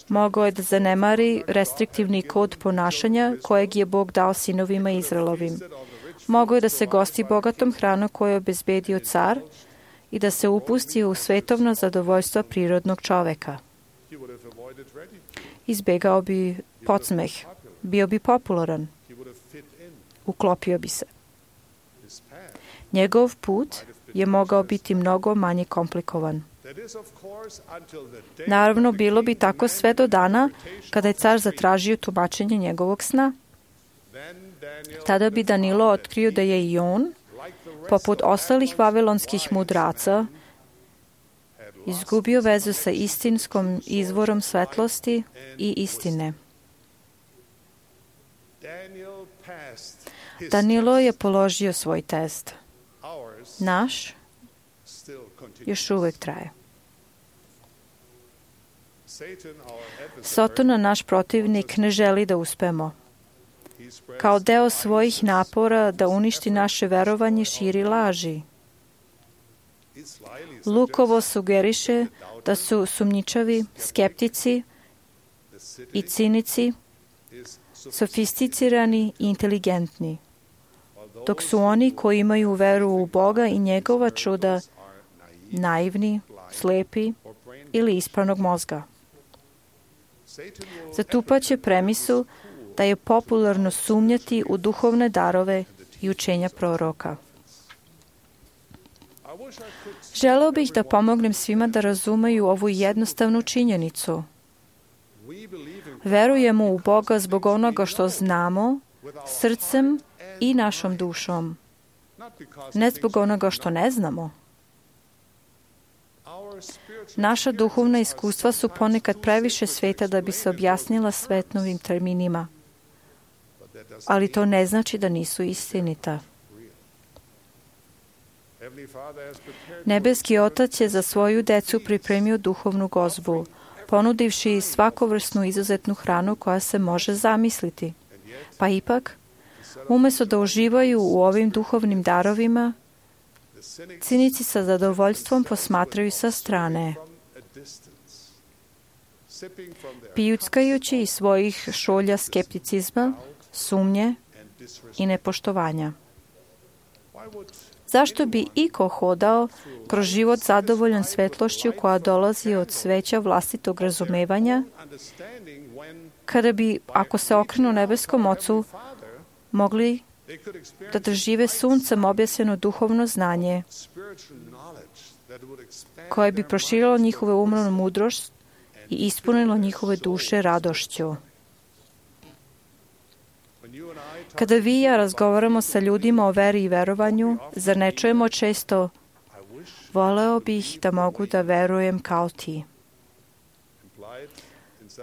Mogao je da zanemari restriktivni kod ponašanja kojeg je Bog dao sinovima Izraelovim. Mogao je da se gosti bogatom hranom koju je obezbedio car i da se upusti u svetovno zadovoljstvo prirodnog čoveka. Izbegao bi podsmeh, bio bi popularan, uklopio bi se. Njegov put je mogao biti mnogo manje komplikovan. Naravno, bilo bi tako sve do dana kada je car zatražio tumačenje njegovog sna. Tada bi Danilo otkrio da je i on, poput ostalih vavilonskih mudraca, izgubio vezu sa istinskom izvorom svetlosti i istine. Danilo je položio svoj test. Naš još uvek traje. Sotona, naš protivnik, ne želi da uspemo. Kao deo svojih napora da uništi naše verovanje, širi laži. lukovo sugeriše da su sumnjičavi, skeptici i cinici, sofisticirani i inteligentni, dok su oni koji imaju veru u Boga i njegova čuda naivni, slepi ili ispravnog mozga. Zatupaće premisu da je popularno sumnjati u duhovne darove i učenja proroka. Želeo bih da pomognem svima da razumeju ovu jednostavnu činjenicu. Verujemo u Boga zbog onoga što znamo, srcem i našom dušom, ne zbog onoga što ne znamo. Naša duhovna iskustva su ponekad previše sveta da bi se objasnila svetnovim terminima, ali to ne znači da nisu istinita. Nebeski Otac je za svoju decu pripremio duhovnu gozbu, ponudivši svakovrsnu izuzetnu hranu koja se može zamisliti. Pa ipak, umesto da uživaju u ovim duhovnim darovima, cinici sa zadovoljstvom posmatraju sa strane, pijuckajući iz svojih šolja skepticizma, sumnje i nepoštovanja. Zašto bi iko hodao kroz život zadovoljan svetlošću koja dolazi od sveća vlastitog razumevanja, kada bi, ako se okrenu nebeskom Ocu, mogli da dožive suncem objasnjeno duhovno znanje, koje bi proširilo njihove umnu mudrost i ispunilo njihove duše radošću. Kada vi i ja razgovaramo sa ljudima o veri i verovanju, zar ne čujemo često: voleo bih da mogu da verujem kao ti?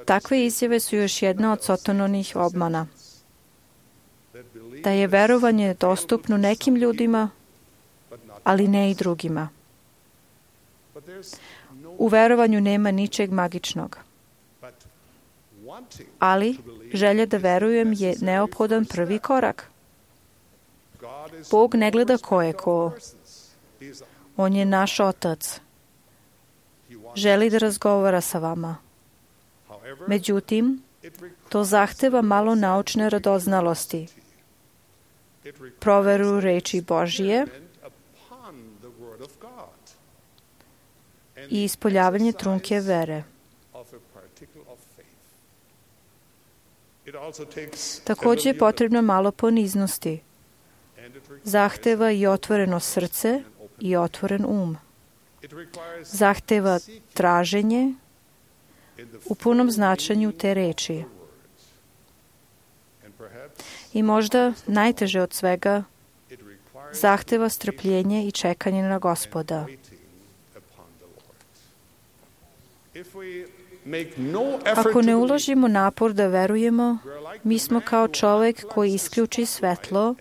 Takve izjave su još jedna od Satanovih obmana. Da je verovanje dostupno nekim ljudima, ali ne i drugima. U verovanju nema ničeg magičnog. Ali želja da verujem je neophodan prvi korak. Bog ne gleda ko je ko. On je naš Otac. Želi da razgovara sa vama. Međutim, to zahteva malo naučne radoznalosti, proveru reči Božije i ispoljavanje trunke vere. Također je potrebno malo poniznosti. Zahteva i otvoreno srce i otvoren um. Zahteva traženje u punom značenju te reči. I možda najteže od svega, zahteva strpljenje i čekanje na Gospoda. Ako ne uložimo napor da verujemo, mi smo kao čovjek koji isključi svetlo,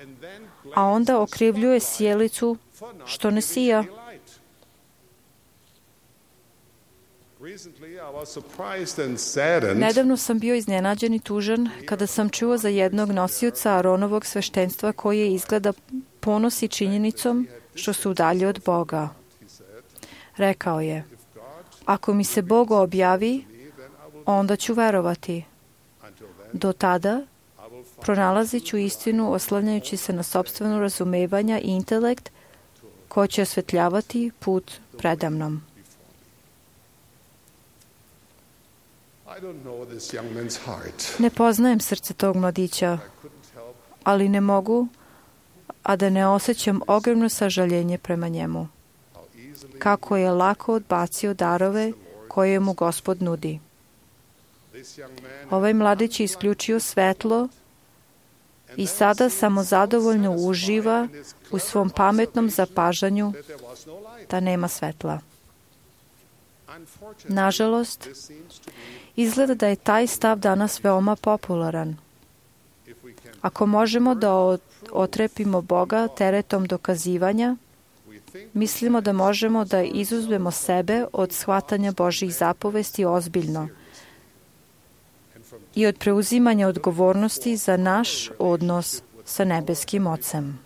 a onda okrivljuje sjelicu što ne sija. Nedavno sam bio iznenađen i tužan kada sam čuo za jednog nosioca Aronovog sveštenstva koji je izgleda ponosi činjenicom što su udalji od Boga. Rekao je: ako mi se Bog objavi, onda ću verovati. Do tada pronalazit ću istinu oslanjajući se na sopstveno razumevanja i intelekt koji će osvetljavati put predamnom. Ne poznajem srce tog mladića, ali ne mogu, a da ne osjećam ogromno sažaljenje prema njemu. Kako je lako odbacio darove koje mu Gospod nudi. Ovaj mladić je isključio svetlo i sada samozadovoljno uživa u svom pametnom zapažanju da nema svetla. Nažalost, izgleda da je taj stav danas veoma popularan. Ako možemo da otrepimo Boga teretom dokazivanja, mislimo da možemo da izuzmemo sebe od shvatanja Božjih zapovesti ozbiljno i od preuzimanja odgovornosti za naš odnos sa nebeskim Ocem.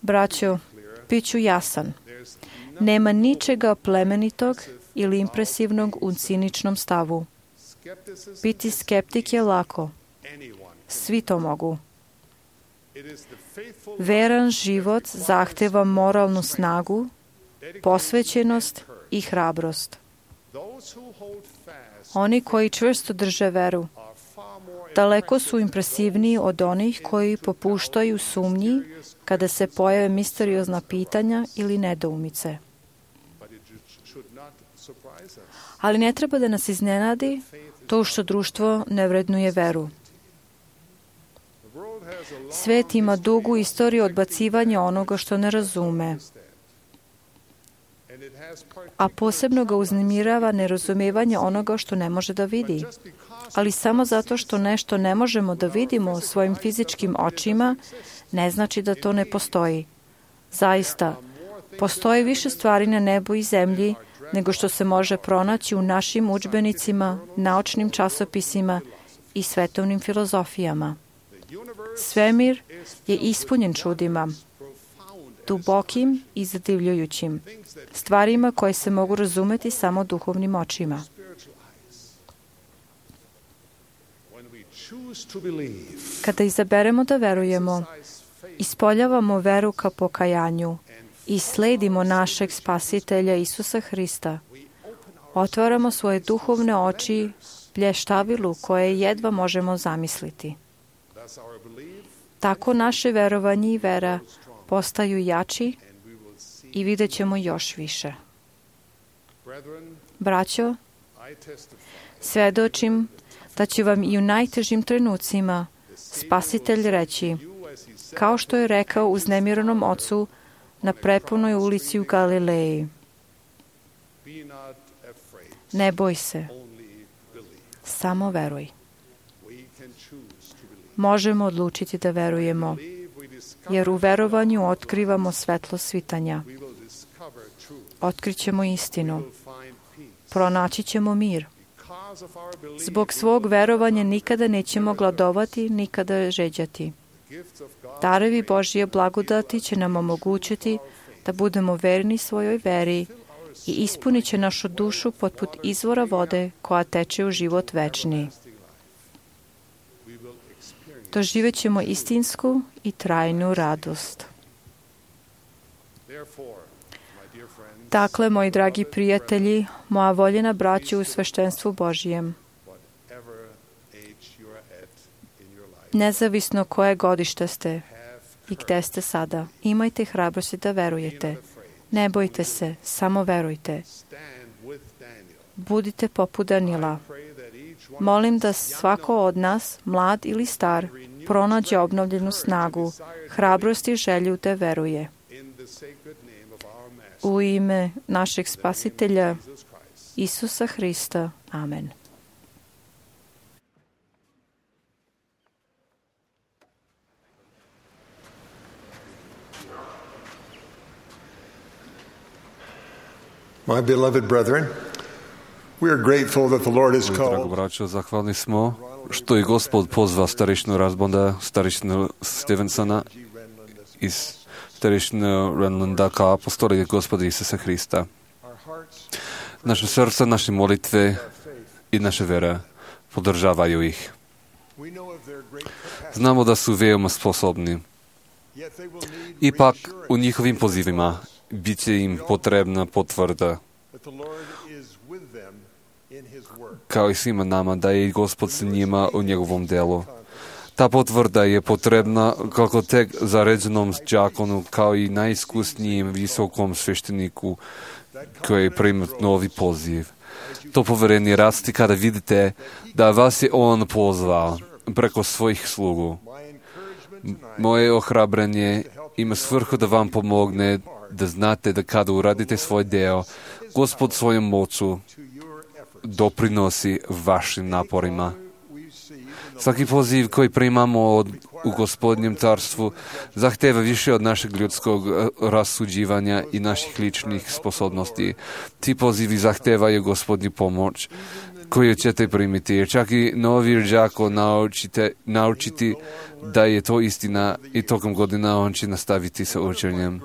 Braćo, Biću jasan. Nema ničega plemenitog ili impresivnog u ciničnom stavu. Biti skeptik je lako. Svi to mogu. Veran život zahteva moralnu snagu, posvećenost i hrabrost. Oni koji čvrsto drže veru, daleko su impresivniji od onih koji popuštaju sumnji kada se pojave misteriozna pitanja ili nedoumice. Ali ne treba da nas iznenadi to što društvo ne vrednuje veru. Svet ima dugu istoriju odbacivanja onoga što ne razume, a posebno ga uznemirava nerazumevanje onoga što ne može da vidi. Ali samo zato što nešto ne možemo da vidimo svojim fizičkim očima, ne znači da to ne postoji. Zaista, postoji više stvari na nebu i zemlji nego što se može pronaći u našim udžbenicima, naučnim časopisima i svetovnim filozofijama. Svemir je ispunjen čudima, dubokim i zadivljujućim, stvarima koje se mogu razumeti samo duhovnim očima. Kada izaberemo da verujemo, ispoljavamo veru ka pokajanju i sledimo našeg Spasitelja Isusa Hrista, otvaramo svoje duhovne oči blještavilu koje jedva možemo zamisliti. Tako naše verovanje i vera postaju jači i vidjet ćemo još više. Braćo, svedočim da će vam i u najtežim trenucima Spasitelj reći, kao što je rekao uznemiranom ocu na prepunoj ulici u Galileji: ne boj se, samo veruj. Možemo odlučiti da verujemo, jer u verovanju otkrivamo svetlo svitanja. Otkrićemo istinu. Pronaći ćemo mir. Zbog svog verovanja nikada nećemo gladovati, nikada žeđati. Darovi Božje blagodati će nam omogućiti da budemo verni svojoj veri i ispunit će našu dušu poput izvora vode koja teče u život večni. Doživjet ćemo istinsku i trajnu radost. Dakle, moji dragi prijatelji, moja voljena braćo u sveštenstvu Božjem, nezavisno koje godište ste i gde ste sada, imajte hrabrosti da verujete. Ne bojte se, samo verujte. Budite poput Danila. Molim da svako od nas, mlad ili star, pronađe obnovljenu snagu, hrabrost i želju da veruje. U ime našeg Spasitelja, Isusa Hrista. Amen. My beloved brethren, we are grateful that the Lord has Drago called braćo, zahvalni smo što je Gospod pozvao starešnu Razbonda, starešnu Stevensona i starešnu Renlanda kao apostole Gospoda Isusa Hrista. Naše srca, naše molitve i naše vera podržavaju ih. Znamo da su veoma sposobni. Ipak u njihovim pozivima bit će im potrebna potvrda, kao i svima nama, da je Gospod s njima u njegovom delu. Ta potvrda je potrebna kako tek zaređenom đakonu, kao i najiskusnijem visokom svešteniku koji prima novi poziv. To poverenje rasti kada vidite da vas je on pozvao preko svojih slugu. Moje ohrabrenje ima svrhu da vam pomogne da znate da kada uradite svoj deo, Gospod svojom moću doprinosi vašim naporima. Svaki poziv koji primamo od, u Gospodnjem carstvu zahteva više od našeg ljudskog rasuđivanja i naših ličnih sposobnosti. Ti pozivi zahtevaju Gospodnju pomoć koju ćete primiti, jer čak i novi đako naučite, naučiti da je to istina i tokom godina on će nastaviti sa učenjem.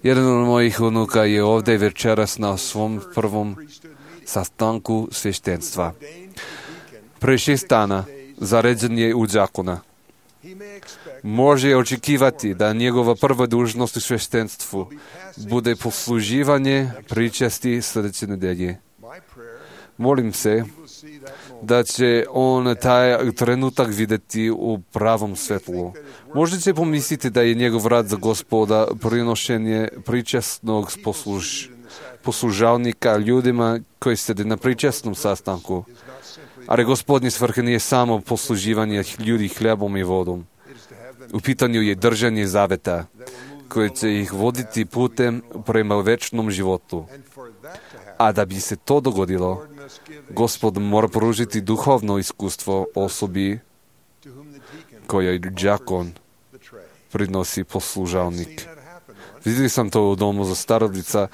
Jedan od mojih unuka je ovdje večeras na svom prvom sastanku sveštenstva. Pre šest dana zaređen je u đakona. Može očekivati da njegova prva dužnost u sveštenstvu bude posluživanje pričasti sljedeće nedelje. Molim se da će on taj trenutak vidjeti u pravom svetlu. Možda će pomisliti da je njegov rad za Gospoda prinošenje pričasnog posluž, poslužavnika ljudima koji sede na pričasnom sastanku. Ali Gospodnji svrha nije samo posluživanje ljudi hljebom i vodom. U pitanju je držanje zaveta, koje će ih voditi putem prema večnom životu. A da bi se to dogodilo, Gospod mora pružiti duhovno iskustvo osobi koja đakon prinosi poslužavnik. Vidjeli sam to u domu za starodica,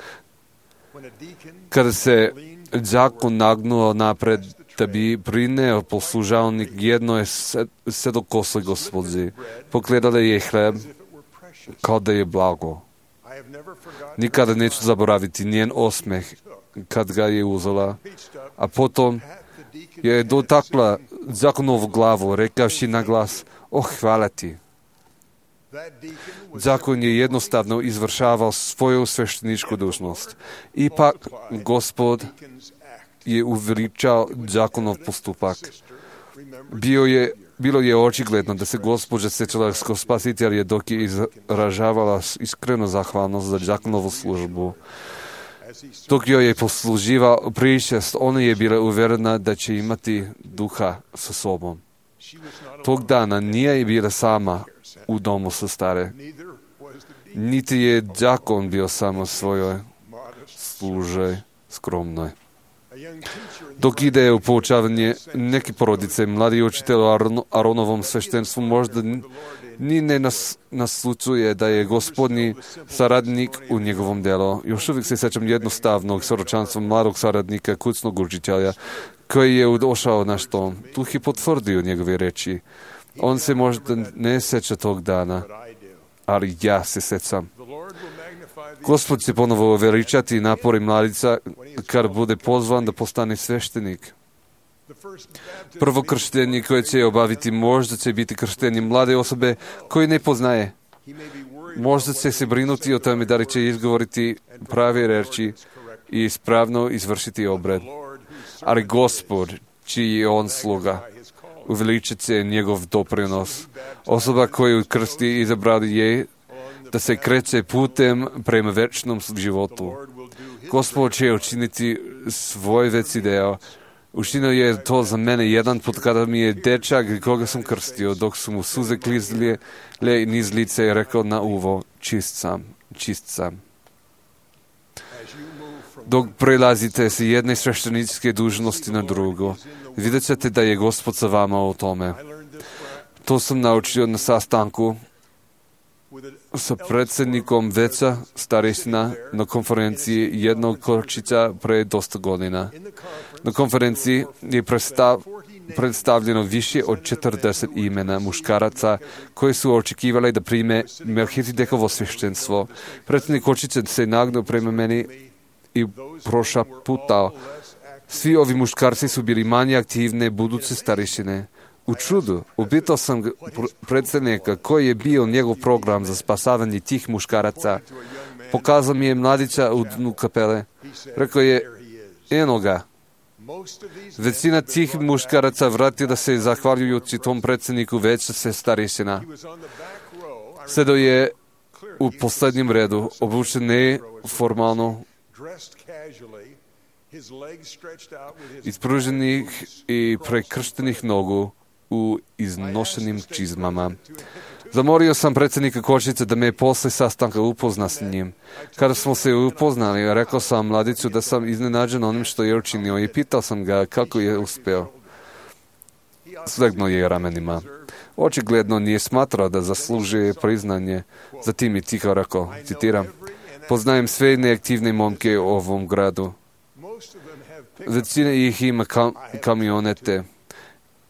kada se đakon nagnuo napred da bi prineo poslužavnik jedno je sedokosoj Gospodi. Pogledala je hleb kao da je blago. Nikada neću zaboraviti njen osmeh kad ga je uzela, a potom je dotakla đakonovu glavu, rekavši na glas, oh, hvala ti. Đakon je jednostavno izvršavao svoju svešteničku dužnost. Ipak, Gospod je uveličao đakonov postupak. Bio je, bilo je očigledno da se gospođa sjećala kao spasitelja dok je izražavala iskrenu zahvalnost za đakonovu službu. Dok joj je posluživao pričest, ona je bila uvjerena da će imati duha sa sobom. Tog dana nije bila sama u domu sa stare. Niti je đakon bio samo svojoj služe skromnoj. Dok ide u poučavanje neke porodice, mladi učitelj o Aronovom sveštenstvu možda ni ne nas, naslučuje da je Gospodnji saradnik u njegovom delu. Još uvijek se sjećam jednostavnog soročanstva mladog saradnika, kućnog učitelja, koji je došao naš dom. Tu je potvrdio njegove reči. On se možda ne sjeća tog dana, ali ja se sjećam. Gospod će ponovo veličati napori mladica kad bude pozvan da postane sveštenik. Prvo krštenje koje će obaviti možda će biti krštenje mlade osobe koje ne poznaje. Možda će se brinuti o tome da li će izgovoriti prave reči i ispravno izvršiti obred. Ali Gospod, čiji je on sluga, uveličat će njegov doprinos. Osoba koju krsti izabrali je da se kreće putem prema večnom životu. Gospod će učiniti svoj veći deo. Učinio je to za mene jedan put kada mi je dečak koga sam krstio, dok su mu suze klizle niz lice i rekao na uvo, čist sam, čist sam. Dok prelazite se jedne svešteničke dužnosti na drugo, vidjet ćete da je Gospod sa vama o tome. To sam naučio na sastanku sa predsjednikom veća starešina na konferenciji jednog Korčića pre dosta godina. Na konferenciji je predstav, predstavljeno više od četrdeset imena muškaraca koji su očekivali da prime Melhizedekovo sveštenstvo. Predsjednik Korčića se nagnuo prema meni i prošaputao. Svi ovi muškarci su bili manje aktivne buduće starešine. U čudu, upitao sam predsjednika koji je bio njegov program za spasavanje tih muškaraca. Pokazao mi je mladića u dnu kapele. Rekao je, eno ga. Većina tih muškaraca vratila se zahvaljujući tom predsjedniku veća se starešina. Sedao je u posljednjem redu, obučen neformalno, ispruženih i prekrštenih nogu u iznošenim čizmama. Zamolio sam predsjednika Kočića da me posle sastanka upozna s njim. Kada smo se upoznali, rekao sam mladiću da sam iznenađen onim što je učinio i pitao sam ga kako je uspeo. Slegnuo je ramenima. Očigledno nije smatrao da zaslužuje priznanje. Zatim je tiho rekao, citiram, poznajem sve neaktivne momke u ovom gradu. Većina ih ima kam, kamionete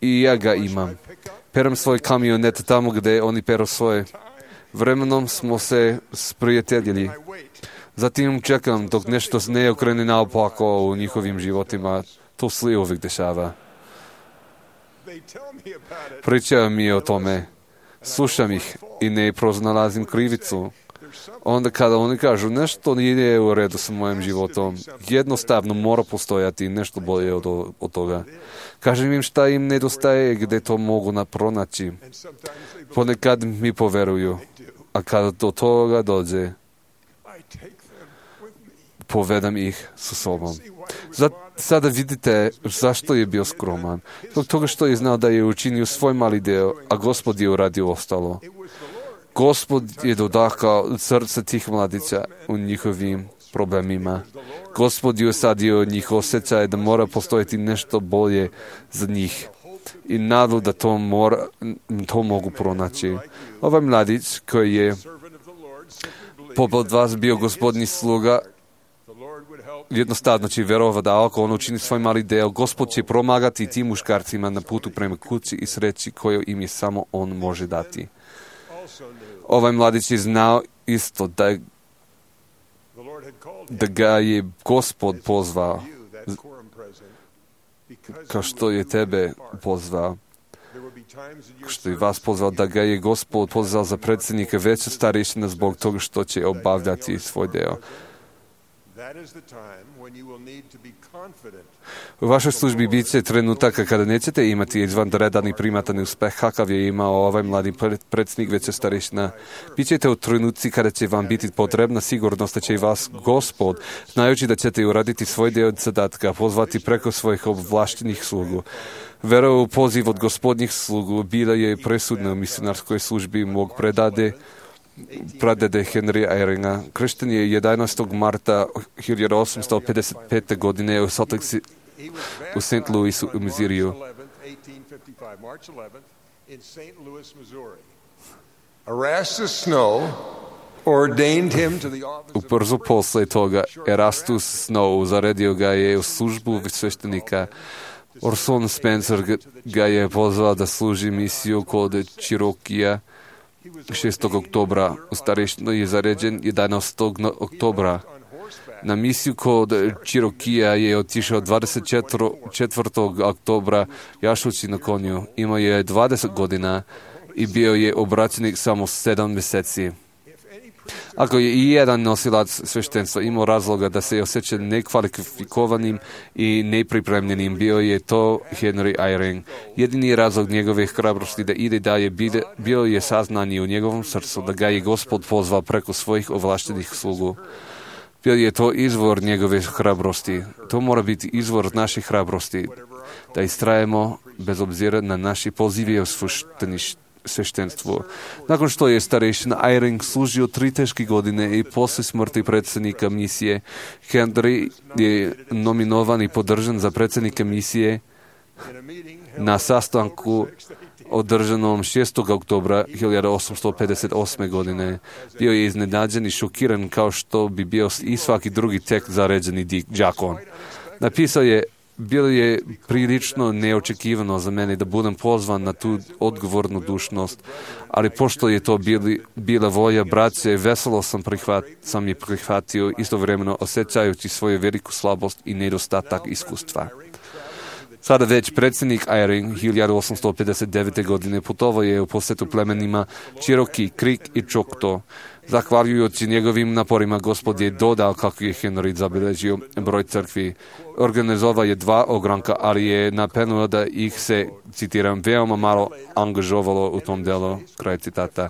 i ja ga imam. Peram svoj kamionet tamo gdje oni peru svoje. Vremenom smo se sprijateljili. Zatim čekam dok nešto se ne okrene naopako u njihovim životima. To se uvijek dešava. Pričaju mi o tome. Slušam ih i ne proznalazim krivicu. Onda kada oni kažu nešto nije u redu sa mojim životom, jednostavno mora postojati nešto bolje od, od toga. Kažem im šta im nedostaje, gdje to mogu napronaći. Ponekad mi poveruju, a kada do toga dođe, povedam ih sa sobom. Zat, sada vidite zašto je bio skroman. Zbog toga što je znao da je učinio svoj mali deo, a Gospod je uradio ostalo. Gospod je dodahao srce tih mladića u njihovim problemima. Gospod je usadio njih osjećaj da mora postojati nešto bolje za njih i nadu da to, mora, to mogu pronaći. Ovaj mladić koji je poput vas bio Gospodni sluga, jednostavno će vjerovati da ako on učini svoj mali deo, Gospod će pomagati tim muškarcima na putu prema kući i sreći koju im je samo on može dati. Ovaj mladić je znao isto da, da ga je Gospod pozvao, kao što je tebe pozvao, kao što je vas pozvao, da ga je Gospod pozvao za predsjednika veće starešine zbog toga što će obavljati svoj deo. U vašoj službi bit će trenutaka kada nećete imati izvanredan i primatan uspeh kakav je imao ovaj mladi predsjednik veće starešina. Bićete u trenutci kada će vam biti potrebna sigurnost da će i vas Gospod, znajući da ćete uraditi svoj dio zadatka, pozvati preko svojih ovlaštenih slugu. Vera u poziv od gospodnjih slugu bila je presudna u misionarskoj službi mog predade, pradede Henry Eyringa. Kršten je jedanaestog marta hiljadu osamsto pedeset pete. godine u Salt Lake u Saint Louisu u Missouriju. Ubrzo posle toga Erastus Snow zaredio ga je u službu sveštenika. Orson Spencer ga je pozvao da služi misiju kod Cherokee šestog oktobra. U starešinu je zaređen jedanaestog oktobra. Na misiju kod Cherokee je otišao dvadeset četvrtog oktobra jašući na konju. Imao je dvadeset godina i bio je obraćenik samo sedam mjeseci. Ako je i jedan nosilac sveštenstva imao razloga da se osjeća nekvalifikovanim i nepripremljenim, bio je to Henry Eyring. Jedini razlog njegove hrabrosti da ide dalje bio je saznanje u njegovom srcu da ga je Gospod pozvao preko svojih ovlaštenih slugu. Bio je to izvor njegove hrabrosti. To mora biti izvor naše hrabrosti, da istrajemo bez obzira na naši pozive u sveštenstvu. Nakon što je starešina Eyring služio tri teške godine i posle smrti predsjednika misije, Henry je nominovan i podržan za predsjednika misije na sastanku održanom šestog oktobra hiljadu osamsto pedeset osme. godine. Bio je iznenađen i šokiran kao što bi bio i svaki drugi tek zaređeni đakon. Napisao je: bilo je prilično neočekivano za mene da budem pozvan na tu odgovornu dužnost, ali pošto je to bili, bila volja braće, veselo sam, prihvat, sam je prihvatio, istovremeno osjećajući svoju veliku slabost i nedostatak iskustva. Sada već predsjednik Eyring hiljadu osamsto pedeset devete. godine putovao je u posjetu plemenima Cherokee, Creek i Choctaw. Zahvaljujući njegovim naporima, Gospod je dodao kako je Henry zabilježio broj crkvi. Organizovao je dva ogranka, ali je napomenuo da ih se, citiram, veoma malo angažovalo u tom delu, kraj citata.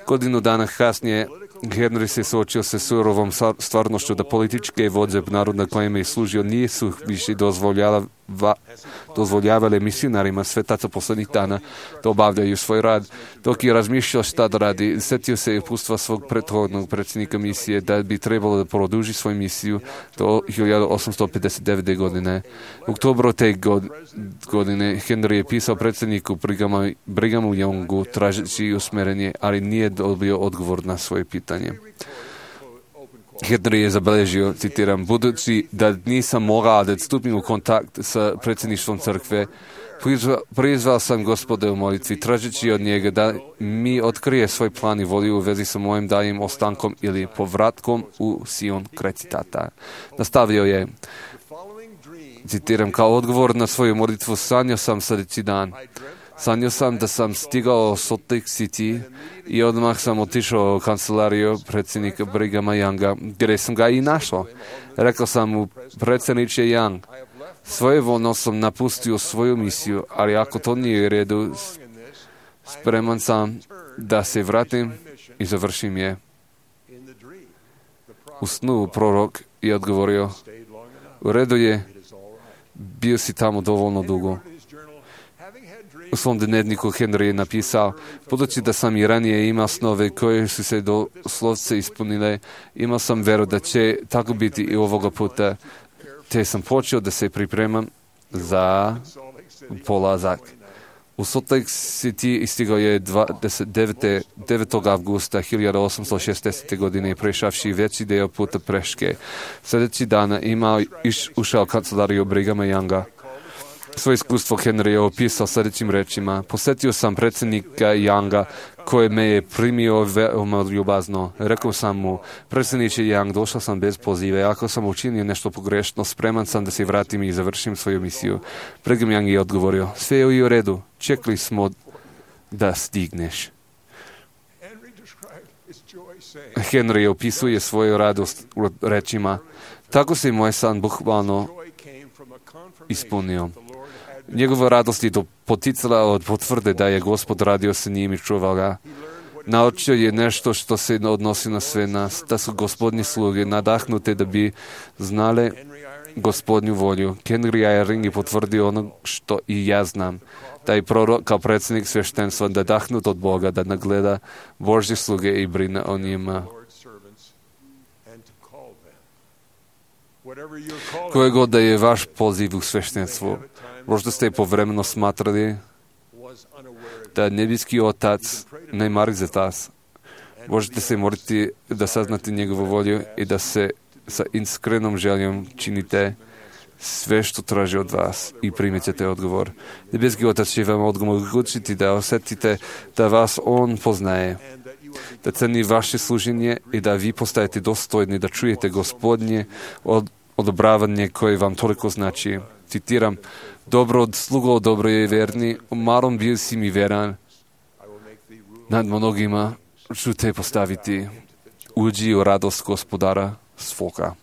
Godinu dana kasnije Henry se suočio sa surovom stvarnošću da političke vođe naroda kojima je služio nisu više dozvoljava, dozvoljavale misionarima svetaca posljednjih dana da obavljaju svoj rad. Dok je razmišljao šta da radi, setio se upustva svog prethodnog predsjednika misije da bi trebalo da produži svoju misiju do hiljadu osamsto pedeset devete. godine. U oktobru te godine Henry je pisao predsjedniku Brigamu Youngu tražeći usmjerenje, ali nije dobio odgovor na svoje pitanje. Henry je zabeležio, citiram, budući da nisam mogao da stupim u kontakt sa predsjedništvom crkve, prizvao sam Gospoda u molitvi, tražeći od njega da mi otkrije svoj plan i volju u vezi sa mojim daljim ostankom ili povratkom u Sion, kraj citata. Nastavio je, citiram, kao odgovor na svoju molitvu, sanjao sam sljedeći dan. Sanjao sam da sam stigao u Salt Lake City i odmah sam otišao u kancelariju predsjednika Brighama Younga, gdje sam ga i našao. Rekao sam mu, predsjedniče Young, svojevoljno sam napustio svoju misiju, ali ako to nije u redu, spreman sam da se vratim i završim je. U snu prorok je odgovorio, u redu je, bio si tamo dovoljno dugo. U svom dnevniku Henry je napisao, budući da sam i ranije imao snove koje su se doslovce ispunile, imao sam veru da će tako biti i ovoga puta, te sam počeo da se pripremam za polazak. U Salt Lake City istigao je devetog avgusta hiljadu osamsto šezdeset. godine prešavši veći deo puta peške. Sljedeći dana imao iš ušao kancelariju Brighama Younga. Svoje iskustvo Henry je opisao sljedećim rečima. Posjetio sam predsjednika Younga koji me je primio veoma ljubazno. Rekao sam mu, predsjedniče Young, došao sam bez pozive. Ako sam učinio nešto pogrešno, spreman sam da se vratim i završim svoju misiju. Brigham Young je odgovorio, sve je u redu, čekali smo da stigneš. Henry opisuje svoju radost rečima, tako se moj san bukvalno ispunio. Njegova radost je poticala od potvrde da je Gospod radio sa njim i čuvao ga. Naučio je nešto što se odnosi na sve nas, da su Gospodnje sluge nadahnute da bi znale Gospodnju volju. Henry Eyring je potvrdio ono što i ja znam, da je prorok kao predsjednik sveštenstva nadahnut od Boga da nagleda Božje sluge i brine o njima. Koje god da je vaš poziv u sveštenstvu, možda ste povremeno smatrali da nebeski Otac ne mari za tas. Možete se moliti da saznate njegovu volju i da se sa iskrenom željom činite sve što traži od vas i primite odgovor. Nebeski Otac će vam omogućiti da osjetite da vas On poznaje, da ceni vaše služenje i da vi postajete dostojni da čujete Gospodnje od odobravanje koje vam toliko znači. Citiram, dobro od slugo, dobro je verni, u malom bio si mi veran, nad mnogima ću te postaviti, uđi u radost Gospodara svoga.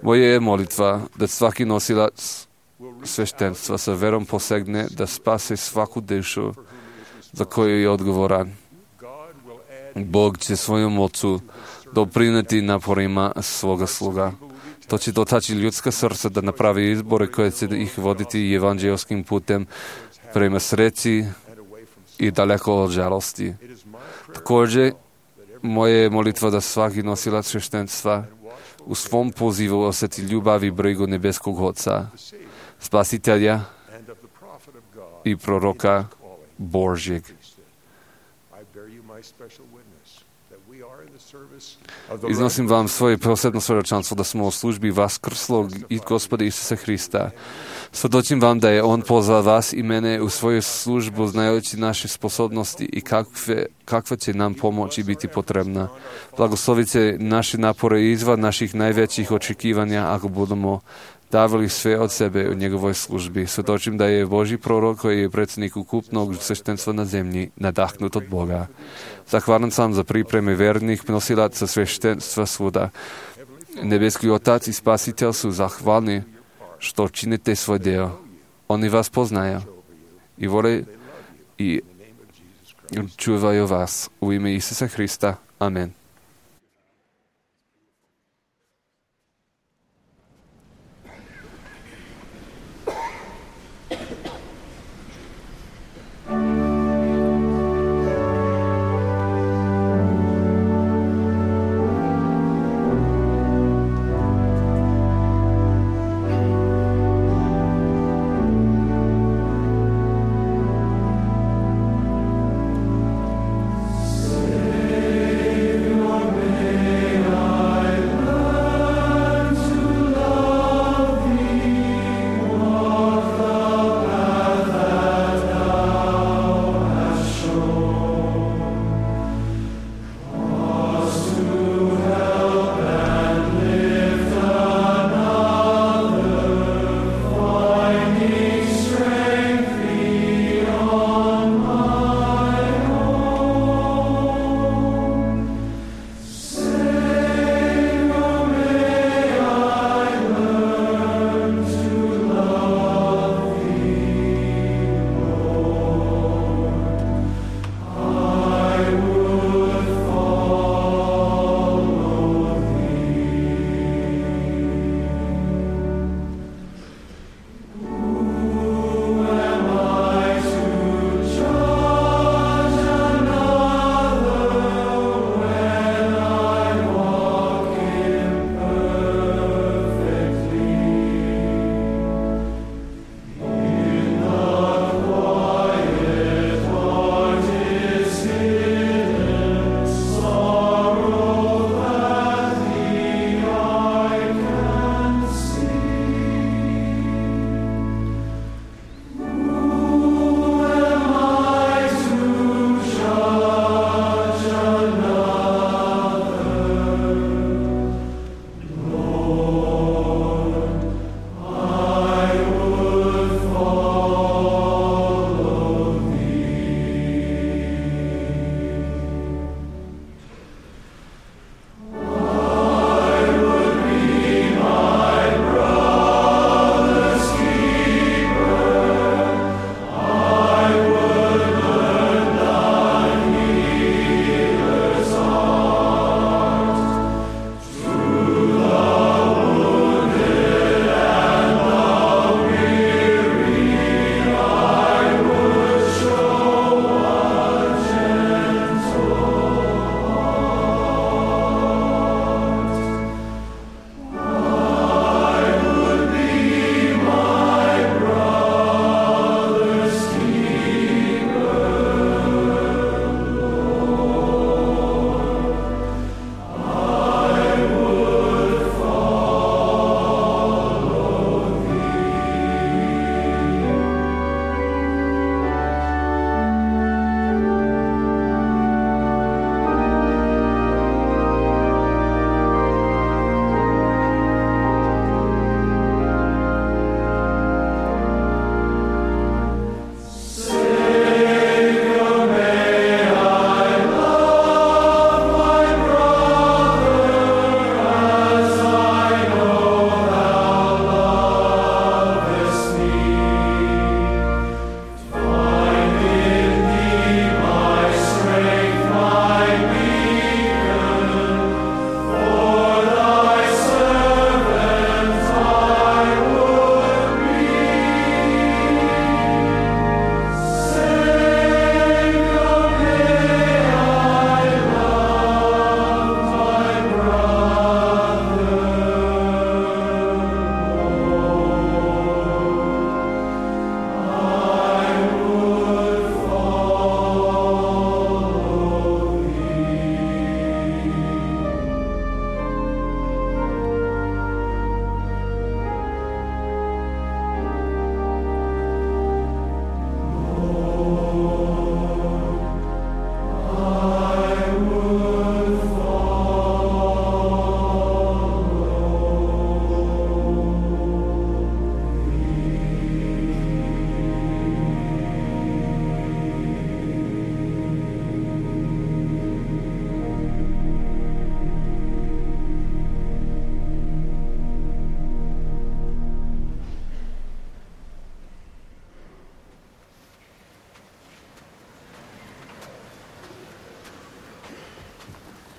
Moja je molitva da svaki nosilac sveštenstva sa verom posegne da spase svaku dušu za koju je odgovoran. Bog će svojom moću doprineti naporima svoga sluga. To će dotaći ljudska srca da napravi izbore koje će ih voditi evanđelskim putem prema sreći i daleko od žalosti. Također, moja je molitva da svaki nosilac sveštenstva u svom pozivu osjeti ljubav i brigu nebeskog Oca, Spasitelja i proroka Božjeg. Iznosim vam svoje posebno svjedočanstvo da smo u službi vaskrslog i Gospoda Isusa Hrista. Svjedočim vam da je On pozvao vas i mene u svoju službu znajući naše sposobnosti i kakve, kakva će nam pomoći biti potrebna. Blagoslovite naše napore izvan naših najvećih očekivanja ako budemo davali sve od sebe u njegovoj službi. Svjedočim da je Božji prorok koji je predsjednik ukupnog sveštenstva na zemlji nadahnut od Boga. Zahvalan sam za pripreme vernih nosilaca sveštenstva svuda. Nebeski Otac i Spasitelj su zahvalni što činite svoj dio. Oni vas poznaju i vole i čuvaju vas. U ime Isusa Hrista. Amen. Savior.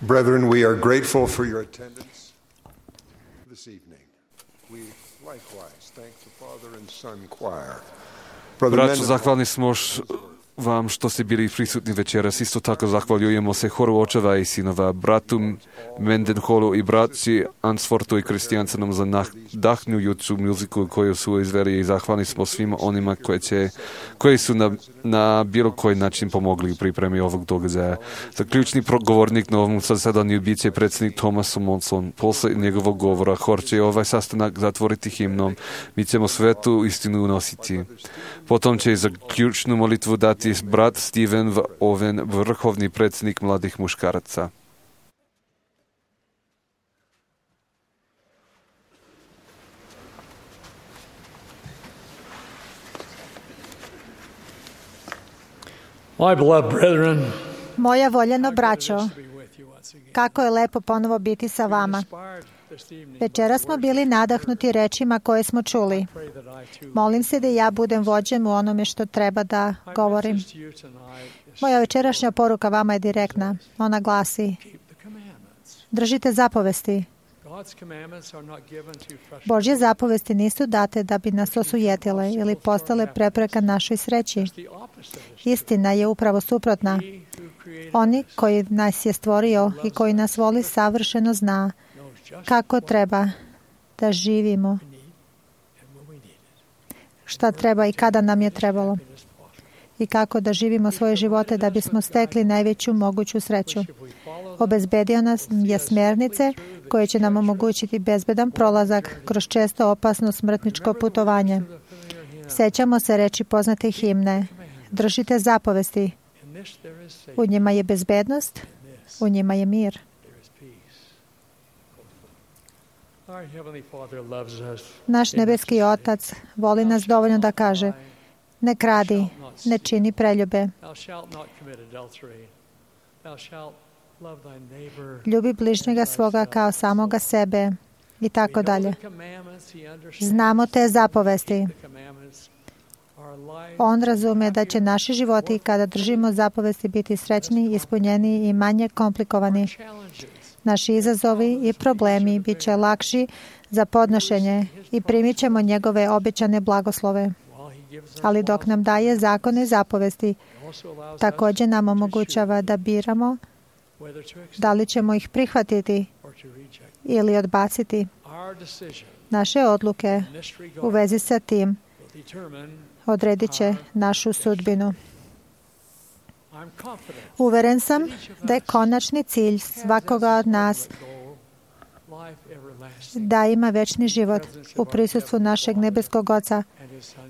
Brethren, we are grateful for your attendance this evening. We likewise thank the Father and Son choir. Braćo, zahvalni smo vam što ste bili prisutni večeras. Isto tako zahvaljujemo se horu očeva i sinova, bratu Mendenholu i braći Ansfortu i Kristijancenom za nadahnjujuću muziku koju su izveli i zahvalni smo svima onima koje će, koji su na, na bilo koji način pomogli u pripremi ovog događaja. Zaključni govornik na ovom zasedanju bit će predsjednik Thomas Monson. Posle njegovog govora hor će ovaj sastanak zatvoriti himnom. Mi ćemo svetu istinu unositi. Potom će i zaključnu molitvu dati brat Steven Owen, vrhovni predsjednik mladih muškaraca. My beloved brethren, moja voljeno braćo, kako je lepo ponovo biti sa vama. Večera smo bili nadahnuti rečima koje smo čuli. Molim se da ja budem vođen u onome što treba da govorim. Moja večerašnja poruka vama je direktna. Ona glasi: držite zapovesti. Božje zapovesti nisu date da bi nas osujetile ili postale prepreka našoj sreći. Istina je upravo suprotna. Oni koji nas je stvorio i koji nas voli savršeno zna kako treba da živimo, šta treba i kada nam je trebalo, i kako da živimo svoje živote da bismo stekli najveću moguću sreću. Obezbedio nas je smjernice koje će nam omogućiti bezbedan prolazak kroz često opasno smrtničko putovanje. Sećamo se reči poznate himne: držite zapovesti. U njima je bezbednost, u njima je mir. Naš nebeski Otac voli nas dovoljno da kaže: ne kradi, ne čini preljube, ljubi bližnjega svoga kao samoga sebe i tako dalje. Znamo te zapovesti. On razume da će naši životi kada držimo zapovesti biti srećni, ispunjeni i manje komplikovani. Naši izazovi i problemi bit će lakši za podnošenje i primit ćemo njegove obećane blagoslove. Ali dok nam daje zakone i zapovesti, također nam omogućava da biramo da li ćemo ih prihvatiti ili odbaciti. Naše odluke u vezi sa tim odredit će našu sudbinu. Uveren sam da je konačni cilj svakoga od nas da ima večni život u prisustvu našeg nebeskog Oca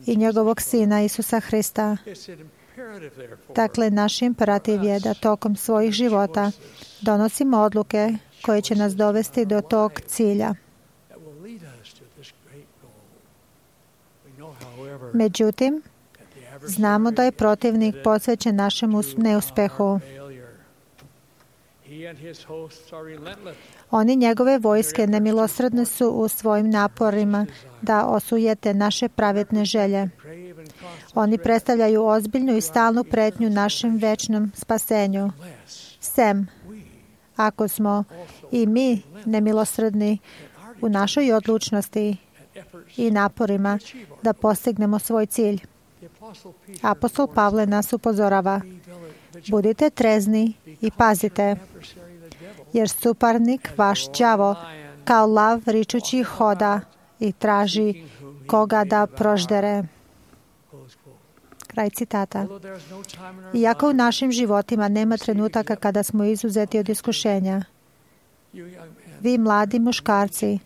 i njegovog Sina Isusa Hrista. Dakle, naš imperativ je da tokom svojih života donosimo odluke koje će nas dovesti do tog cilja. Međutim, znamo da je protivnik posvećen našem neuspehu. Oni njegove vojske nemilosrdne su u svojim naporima da osujete naše pravedne želje. Oni predstavljaju ozbiljnu i stalnu pretnju našem večnom spasenju. Sem, ako smo i mi nemilosrdni u našoj odlučnosti i naporima da postignemo svoj cilj. Apostol Pavle nas upozorava: budite trezni i pazite, jer suparnik vaš đavo kao lav ričući hoda i traži koga da proždere. Kraj citata. Iako u našim životima nema trenutaka kada smo izuzeti od iskušenja, vi mladi muškarci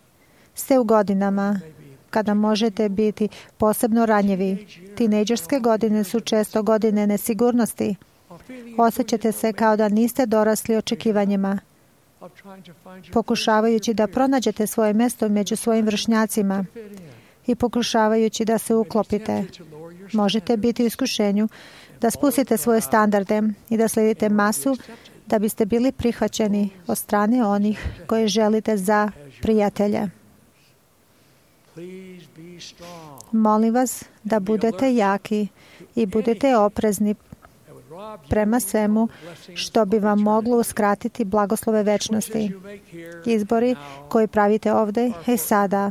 ste u godinama kada možete biti posebno ranjivi. Tinejdžerske godine su često godine nesigurnosti. Osjećate se kao da niste dorasli očekivanjima. Pokušavajući da pronađete svoje mjesto među svojim vršnjacima i pokušavajući da se uklopite, možete biti u iskušenju da spustite svoje standarde i da slijedite masu da biste bili prihvaćeni od strane onih koje želite za prijatelje. Molim vas da budete jaki i budete oprezni prema svemu što bi vam moglo uskratiti blagoslove večnosti. Izbori koji pravite ovdje i sada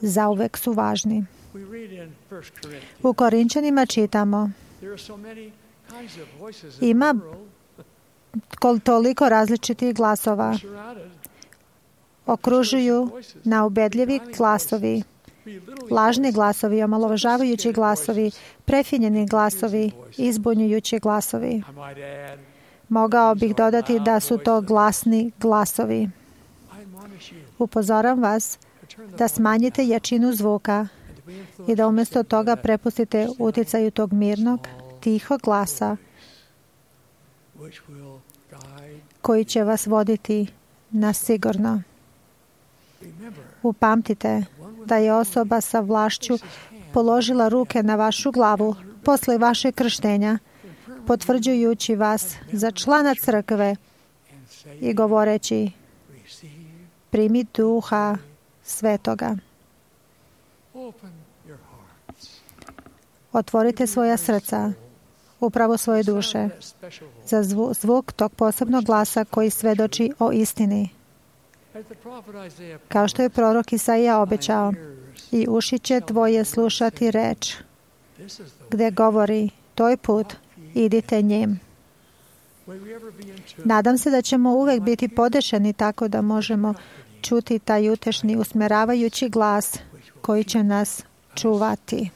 zauvek su važni. U Korinčanima čitamo: ima toliko različitih glasova. Okružuju naubedljivi glasovi, lažni glasovi, omalovažavajući glasovi, prefinjeni glasovi, izbunjujući glasovi. Mogao bih dodati da su to glasni glasovi. Upozoram vas da smanjite jačinu zvuka i da umjesto toga prepustite utjecaju tog mirnog, tihog glasa koji će vas voditi na sigurno. Upamtite da je osoba sa vlašću položila ruke na vašu glavu posle vašeg krštenja, potvrđujući vas za člana crkve i govoreći: primi Duha Svetoga. Otvorite svoja srca, upravo svoje duše, za zvuk tog posebnog glasa koji svedoči o istini. Kao što je prorok Isaija obećao: i uši će tvoje slušati reč, gde govori: to je put, idite njim. Nadam se da ćemo uvek biti podešeni tako da možemo čuti taj utešni, usmeravajući glas koji će nas čuvati.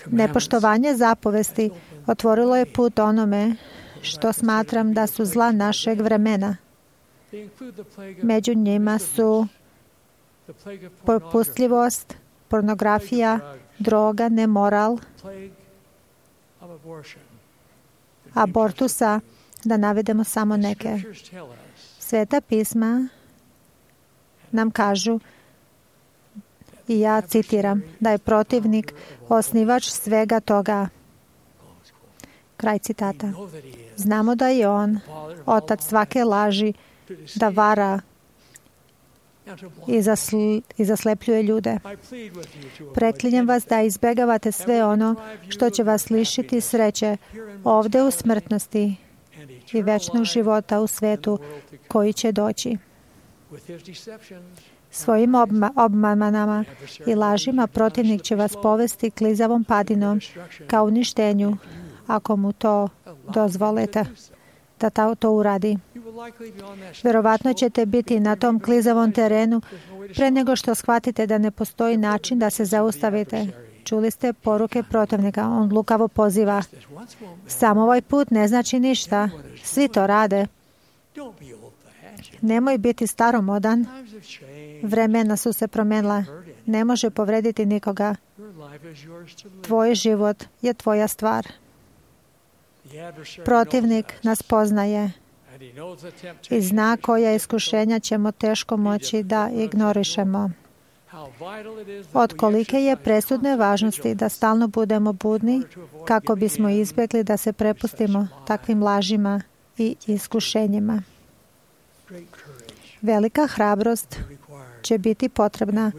Nepoštovanje zapovesti otvorilo je put onome što smatram da su zla našeg vremena. Među njima su popustljivost, pornografija, droga, nemoral, abortusa, da navedemo samo neke. Sveta pisma nam kažu, i ja citiram, da je protivnik osnivač svega toga. Kraj citata. Znamo da je on otac svake laži, da vara i, zasl, i zaslepljuje ljude. Preklinjem vas da izbegavate sve ono što će vas lišiti sreće ovde u smrtnosti i večnog života u svetu koji će doći. Svojim obma, obmanama i lažima protivnik će vas povesti klizavom padinom ka uništenju, ako mu to dozvolite da ta, to uradi. Verovatno ćete biti na tom klizavom terenu pre nego što shvatite da ne postoji način da se zaustavite. Čuli ste poruke protivnika. On lukavo poziva: samo ovaj put ne znači ništa. Svi to rade. Nemoj biti staromodan. Vremena su se promenila. Ne može povrediti nikoga. Tvoj život je tvoja stvar. Protivnik nas poznaje i zna koja iskušenja ćemo teško moći da ignorišemo. Od kolike je presudne važnosti da stalno budemo budni kako bismo izbjegli da se prepustimo takvim lažima i iskušenjima. Velika hrabrost će biti potrebna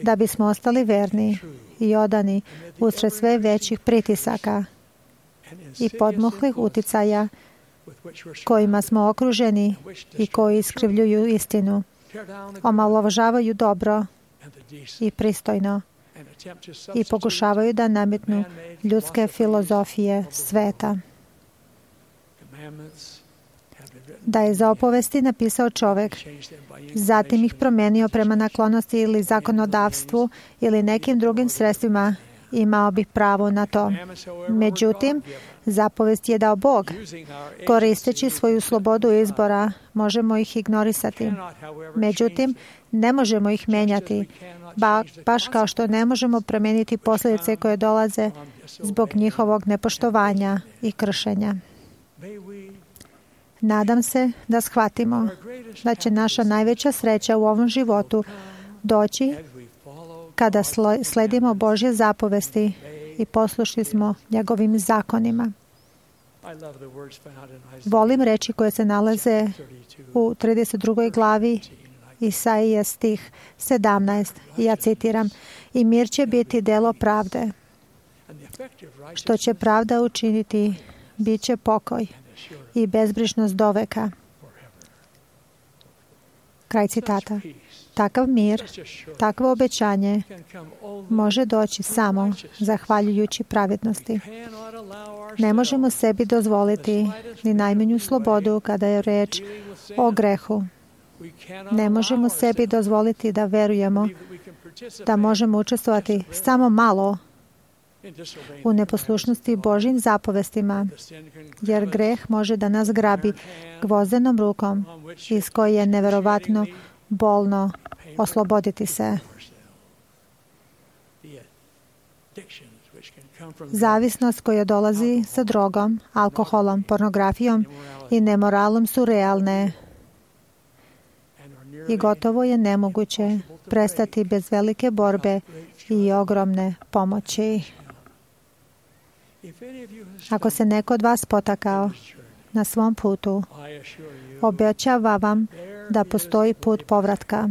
da bismo ostali verni i odani usred sve većih pritisaka i podmuhlih uticaja kojima smo okruženi i koji iskrivljuju istinu, omalovažavaju dobro i pristojno i pokušavaju da nametnu ljudske filozofije sveta. Da je za opovesti napisao čovek, zatim ih promenio prema naklonosti ili zakonodavstvu ili nekim drugim sredstvima, imao bih pravo na to. Međutim, zapovest je dao Bog. Koristeći svoju slobodu izbora, možemo ih ignorisati. Međutim, ne možemo ih menjati, ba, baš kao što ne možemo promeniti posljedice koje dolaze zbog njihovog nepoštovanja i kršenja. Nadam se da shvatimo da će naša najveća sreća u ovom životu doći kada sledimo Božje zapovesti i poslušni smo njegovim zakonima. Volim reči koje se nalaze u trideset drugoj glavi Isaije stih sedamnaest. Ja citiram: i mir će biti delo pravde. Što će pravda učiniti, bit će pokoj i bezbrižnost doveka. Kraj citata. Takav mir, takvo obećanje može doći samo zahvaljujući pravednosti. Ne možemo sebi dozvoliti ni najmanju slobodu kada je reč o grehu. Ne možemo sebi dozvoliti da verujemo da možemo učestvovati samo malo u neposlušnosti Božjim zapovestima, jer greh može da nas grabi gvozdenom rukom iz koje je neverovatno bolno osloboditi se. Zavisnost koja dolazi sa drogom, alkoholom, pornografijom i nemoralom su realne i gotovo je nemoguće prestati bez velike borbe i ogromne pomoći. Ako se neko od vas potakao na svom putu, obećava vam da postoji put povratka.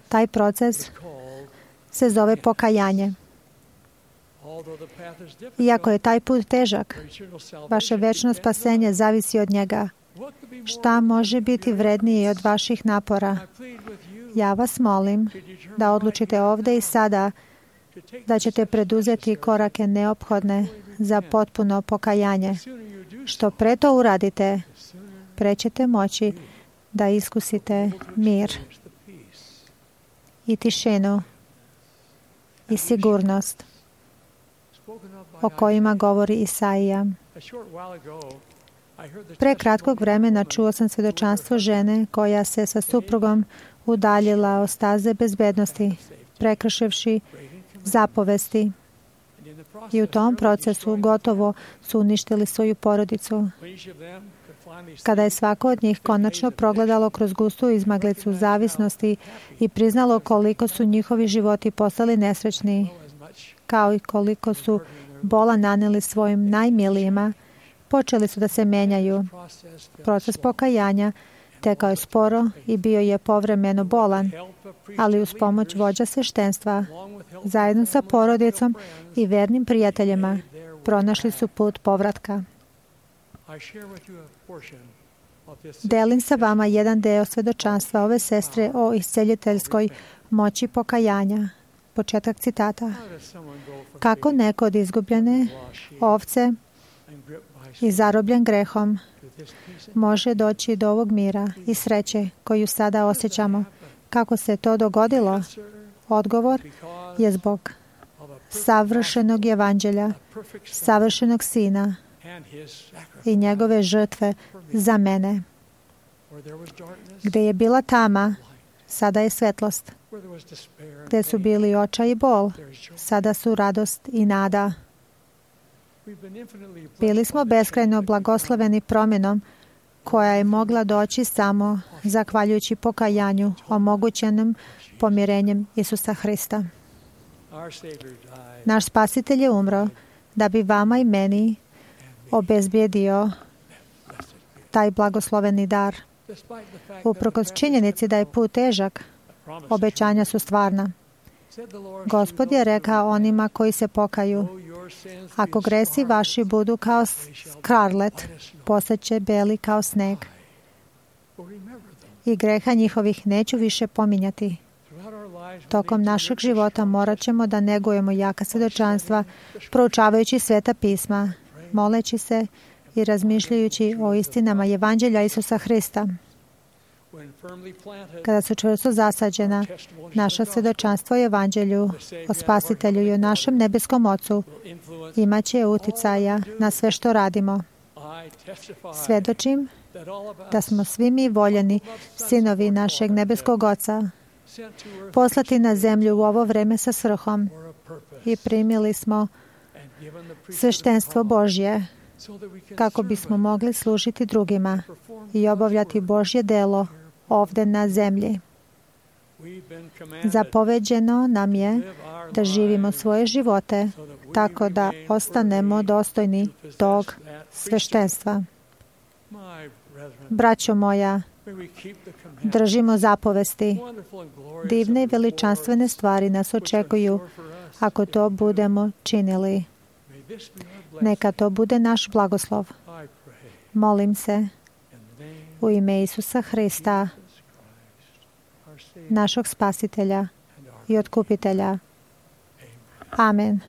Taj proces se zove pokajanje. Iako je taj put težak, vaše večno spasenje zavisi od njega. Šta može biti vrednije od vaših napora? Ja vas molim da odlučite ovde i sada da ćete preduzeti korake neophodne za potpuno pokajanje. Što pre to uradite, pre ćete moći da iskusite mir i tišinu i sigurnost o kojima govori Isaija. Pre kratkog vremena čuo sam svedočanstvo žene koja se sa suprugom udaljila od staze bezbednosti, prekršivši zapovesti. I u tom procesu gotovo su uništili svoju porodicu. Kada je svako od njih konačno progledalo kroz gustu izmaglicu zavisnosti i priznalo koliko su njihovi životi postali nesrećni, kao i koliko su bola naneli svojim najmilijima, počeli su da se menjaju. Proces pokajanja tekao je sporo i bio je povremeno bolan, ali uz pomoć vođa sveštenstva, zajedno sa porodicom i vernim prijateljima, pronašli su put povratka. Delim sa vama jedan deo svedočanstva ove sestre o isceljiteljskoj moći pokajanja. Početak citata. Kako neko od izgubljene ovce i zarobljen grehom može doći do ovog mira i sreće koju sada osjećamo? Kako se to dogodilo? Odgovor je zbog savršenog evanđelja, savršenog Sina i njegove žrtve za mene. Gde je bila tama, sada je svetlost. Gde su bili očaj i bol, sada su radost i nada. Bili smo beskrajno blagosloveni promjenom koja je mogla doći samo zahvaljujući pokajanju omogućenim pomirenjem Isusa Hrista. Naš Spasitelj je umro da bi vama i meni obezbijedio taj blagosloveni dar. Uprkos činjenici da je put težak, obećanja su stvarna. Gospod je rekao onima koji se pokaju, ako gresi vaši budu kao skarlet, postaće beli kao sneg. I greha njihovih neću više pominjati. Tokom našeg života morat ćemo da negujemo jaka svedočanstva, proučavajući Sveta pisma, moleći se i razmišljajući o istinama Evanđelja Isusa Hrista. Kada su čvrsto zasađena, naša svedočanstvo o Evanđelju, o Spasitelju i o našem nebeskom Ocu imaće uticaja na sve što radimo. Svedočim da smo svi mi voljeni sinovi našeg nebeskog Oca, poslati na zemlju u ovo vreme sa svrhom i primili smo sveštenstvo Božje kako bismo mogli služiti drugima i obavljati Božje delo ovde na zemlji. Zapoveđeno nam je da živimo svoje živote tako da ostanemo dostojni tog sveštenstva. Braćo moja, držimo zapovesti. Divne i veličanstvene stvari nas očekuju ako to budemo činili. Neka to bude naš blagoslov. Molim se u ime Isusa Hrista, našeg spasitelja i otkupitelja. Amen.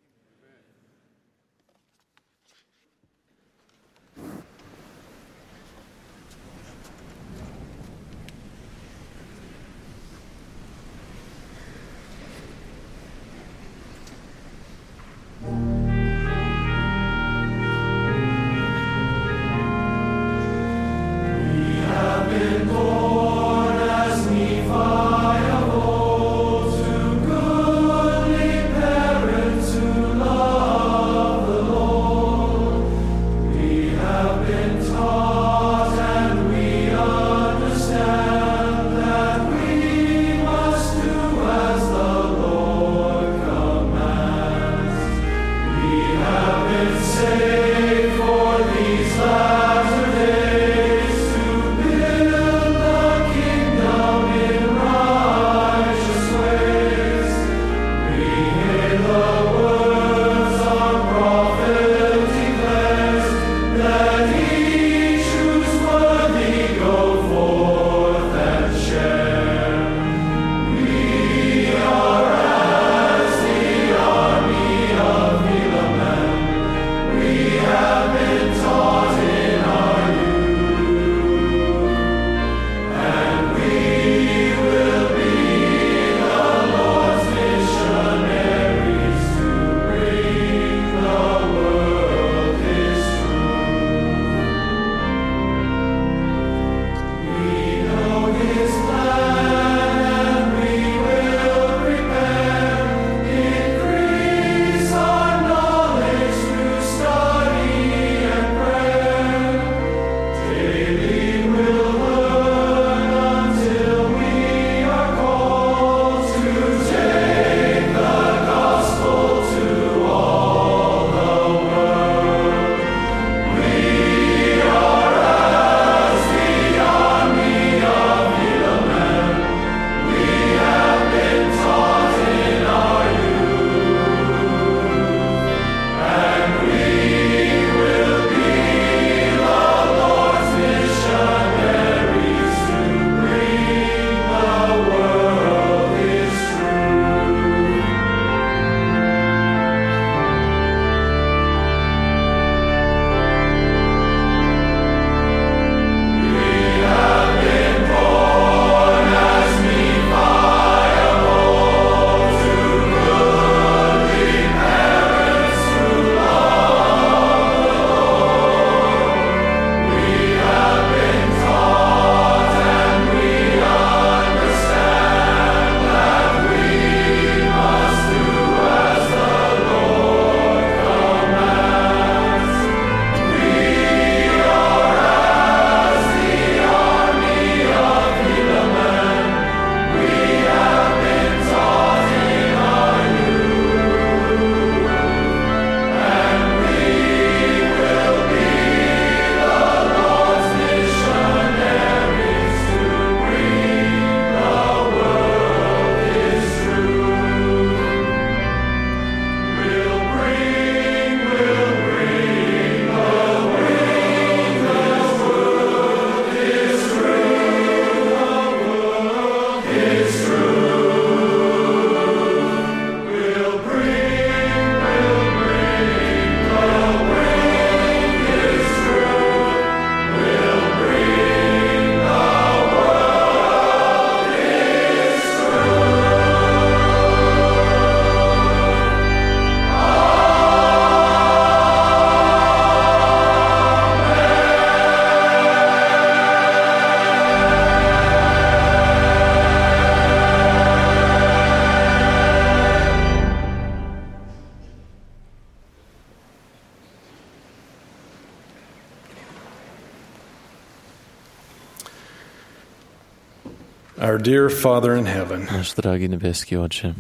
Our dear Father in heaven, náš drahý nebeský Otče,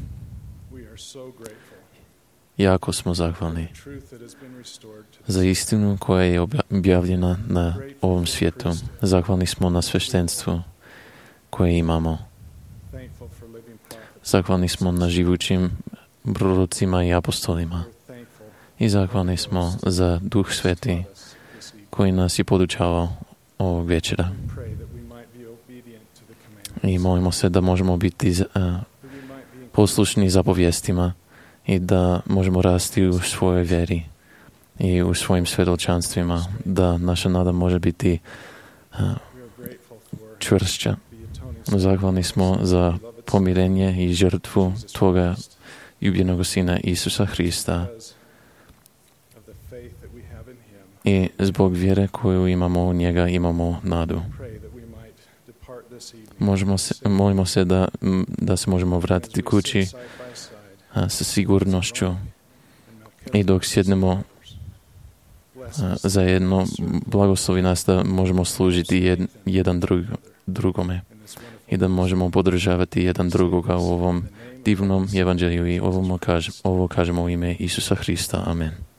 jako smo zahvalni za istinu koja je objavljena na ovom svijetu. Zahvalni smo na sveštenstvu koje imamo. Zahvalni smo na živućim prorocima i apostolima. I zahvalni smo za Duh Sveti koji nas je podučavao ovog večera. I molimo se da možemo biti uh, poslušni zapovjestima i da možemo rasti u svojoj vjeri i u svojim svjedočanstvima, da naša nada može biti uh, čvršća. Zahvalni smo za pomirenje i žrtvu Tvoga ljubljenog Sina Isusa Hrista i zbog vjere koju imamo u njega imamo nadu. Možemo se, molimo se da, da se možemo vratiti kući a, sa sigurnošću i dok sjednemo a, zajedno, blagoslovi nas da možemo služiti jed, jedan drug, drugome i da možemo podržavati jedan drugoga u ovom divnom evanđelju i ovo, kažem, ovo kažemo u ime Isusa Hrista. Amen.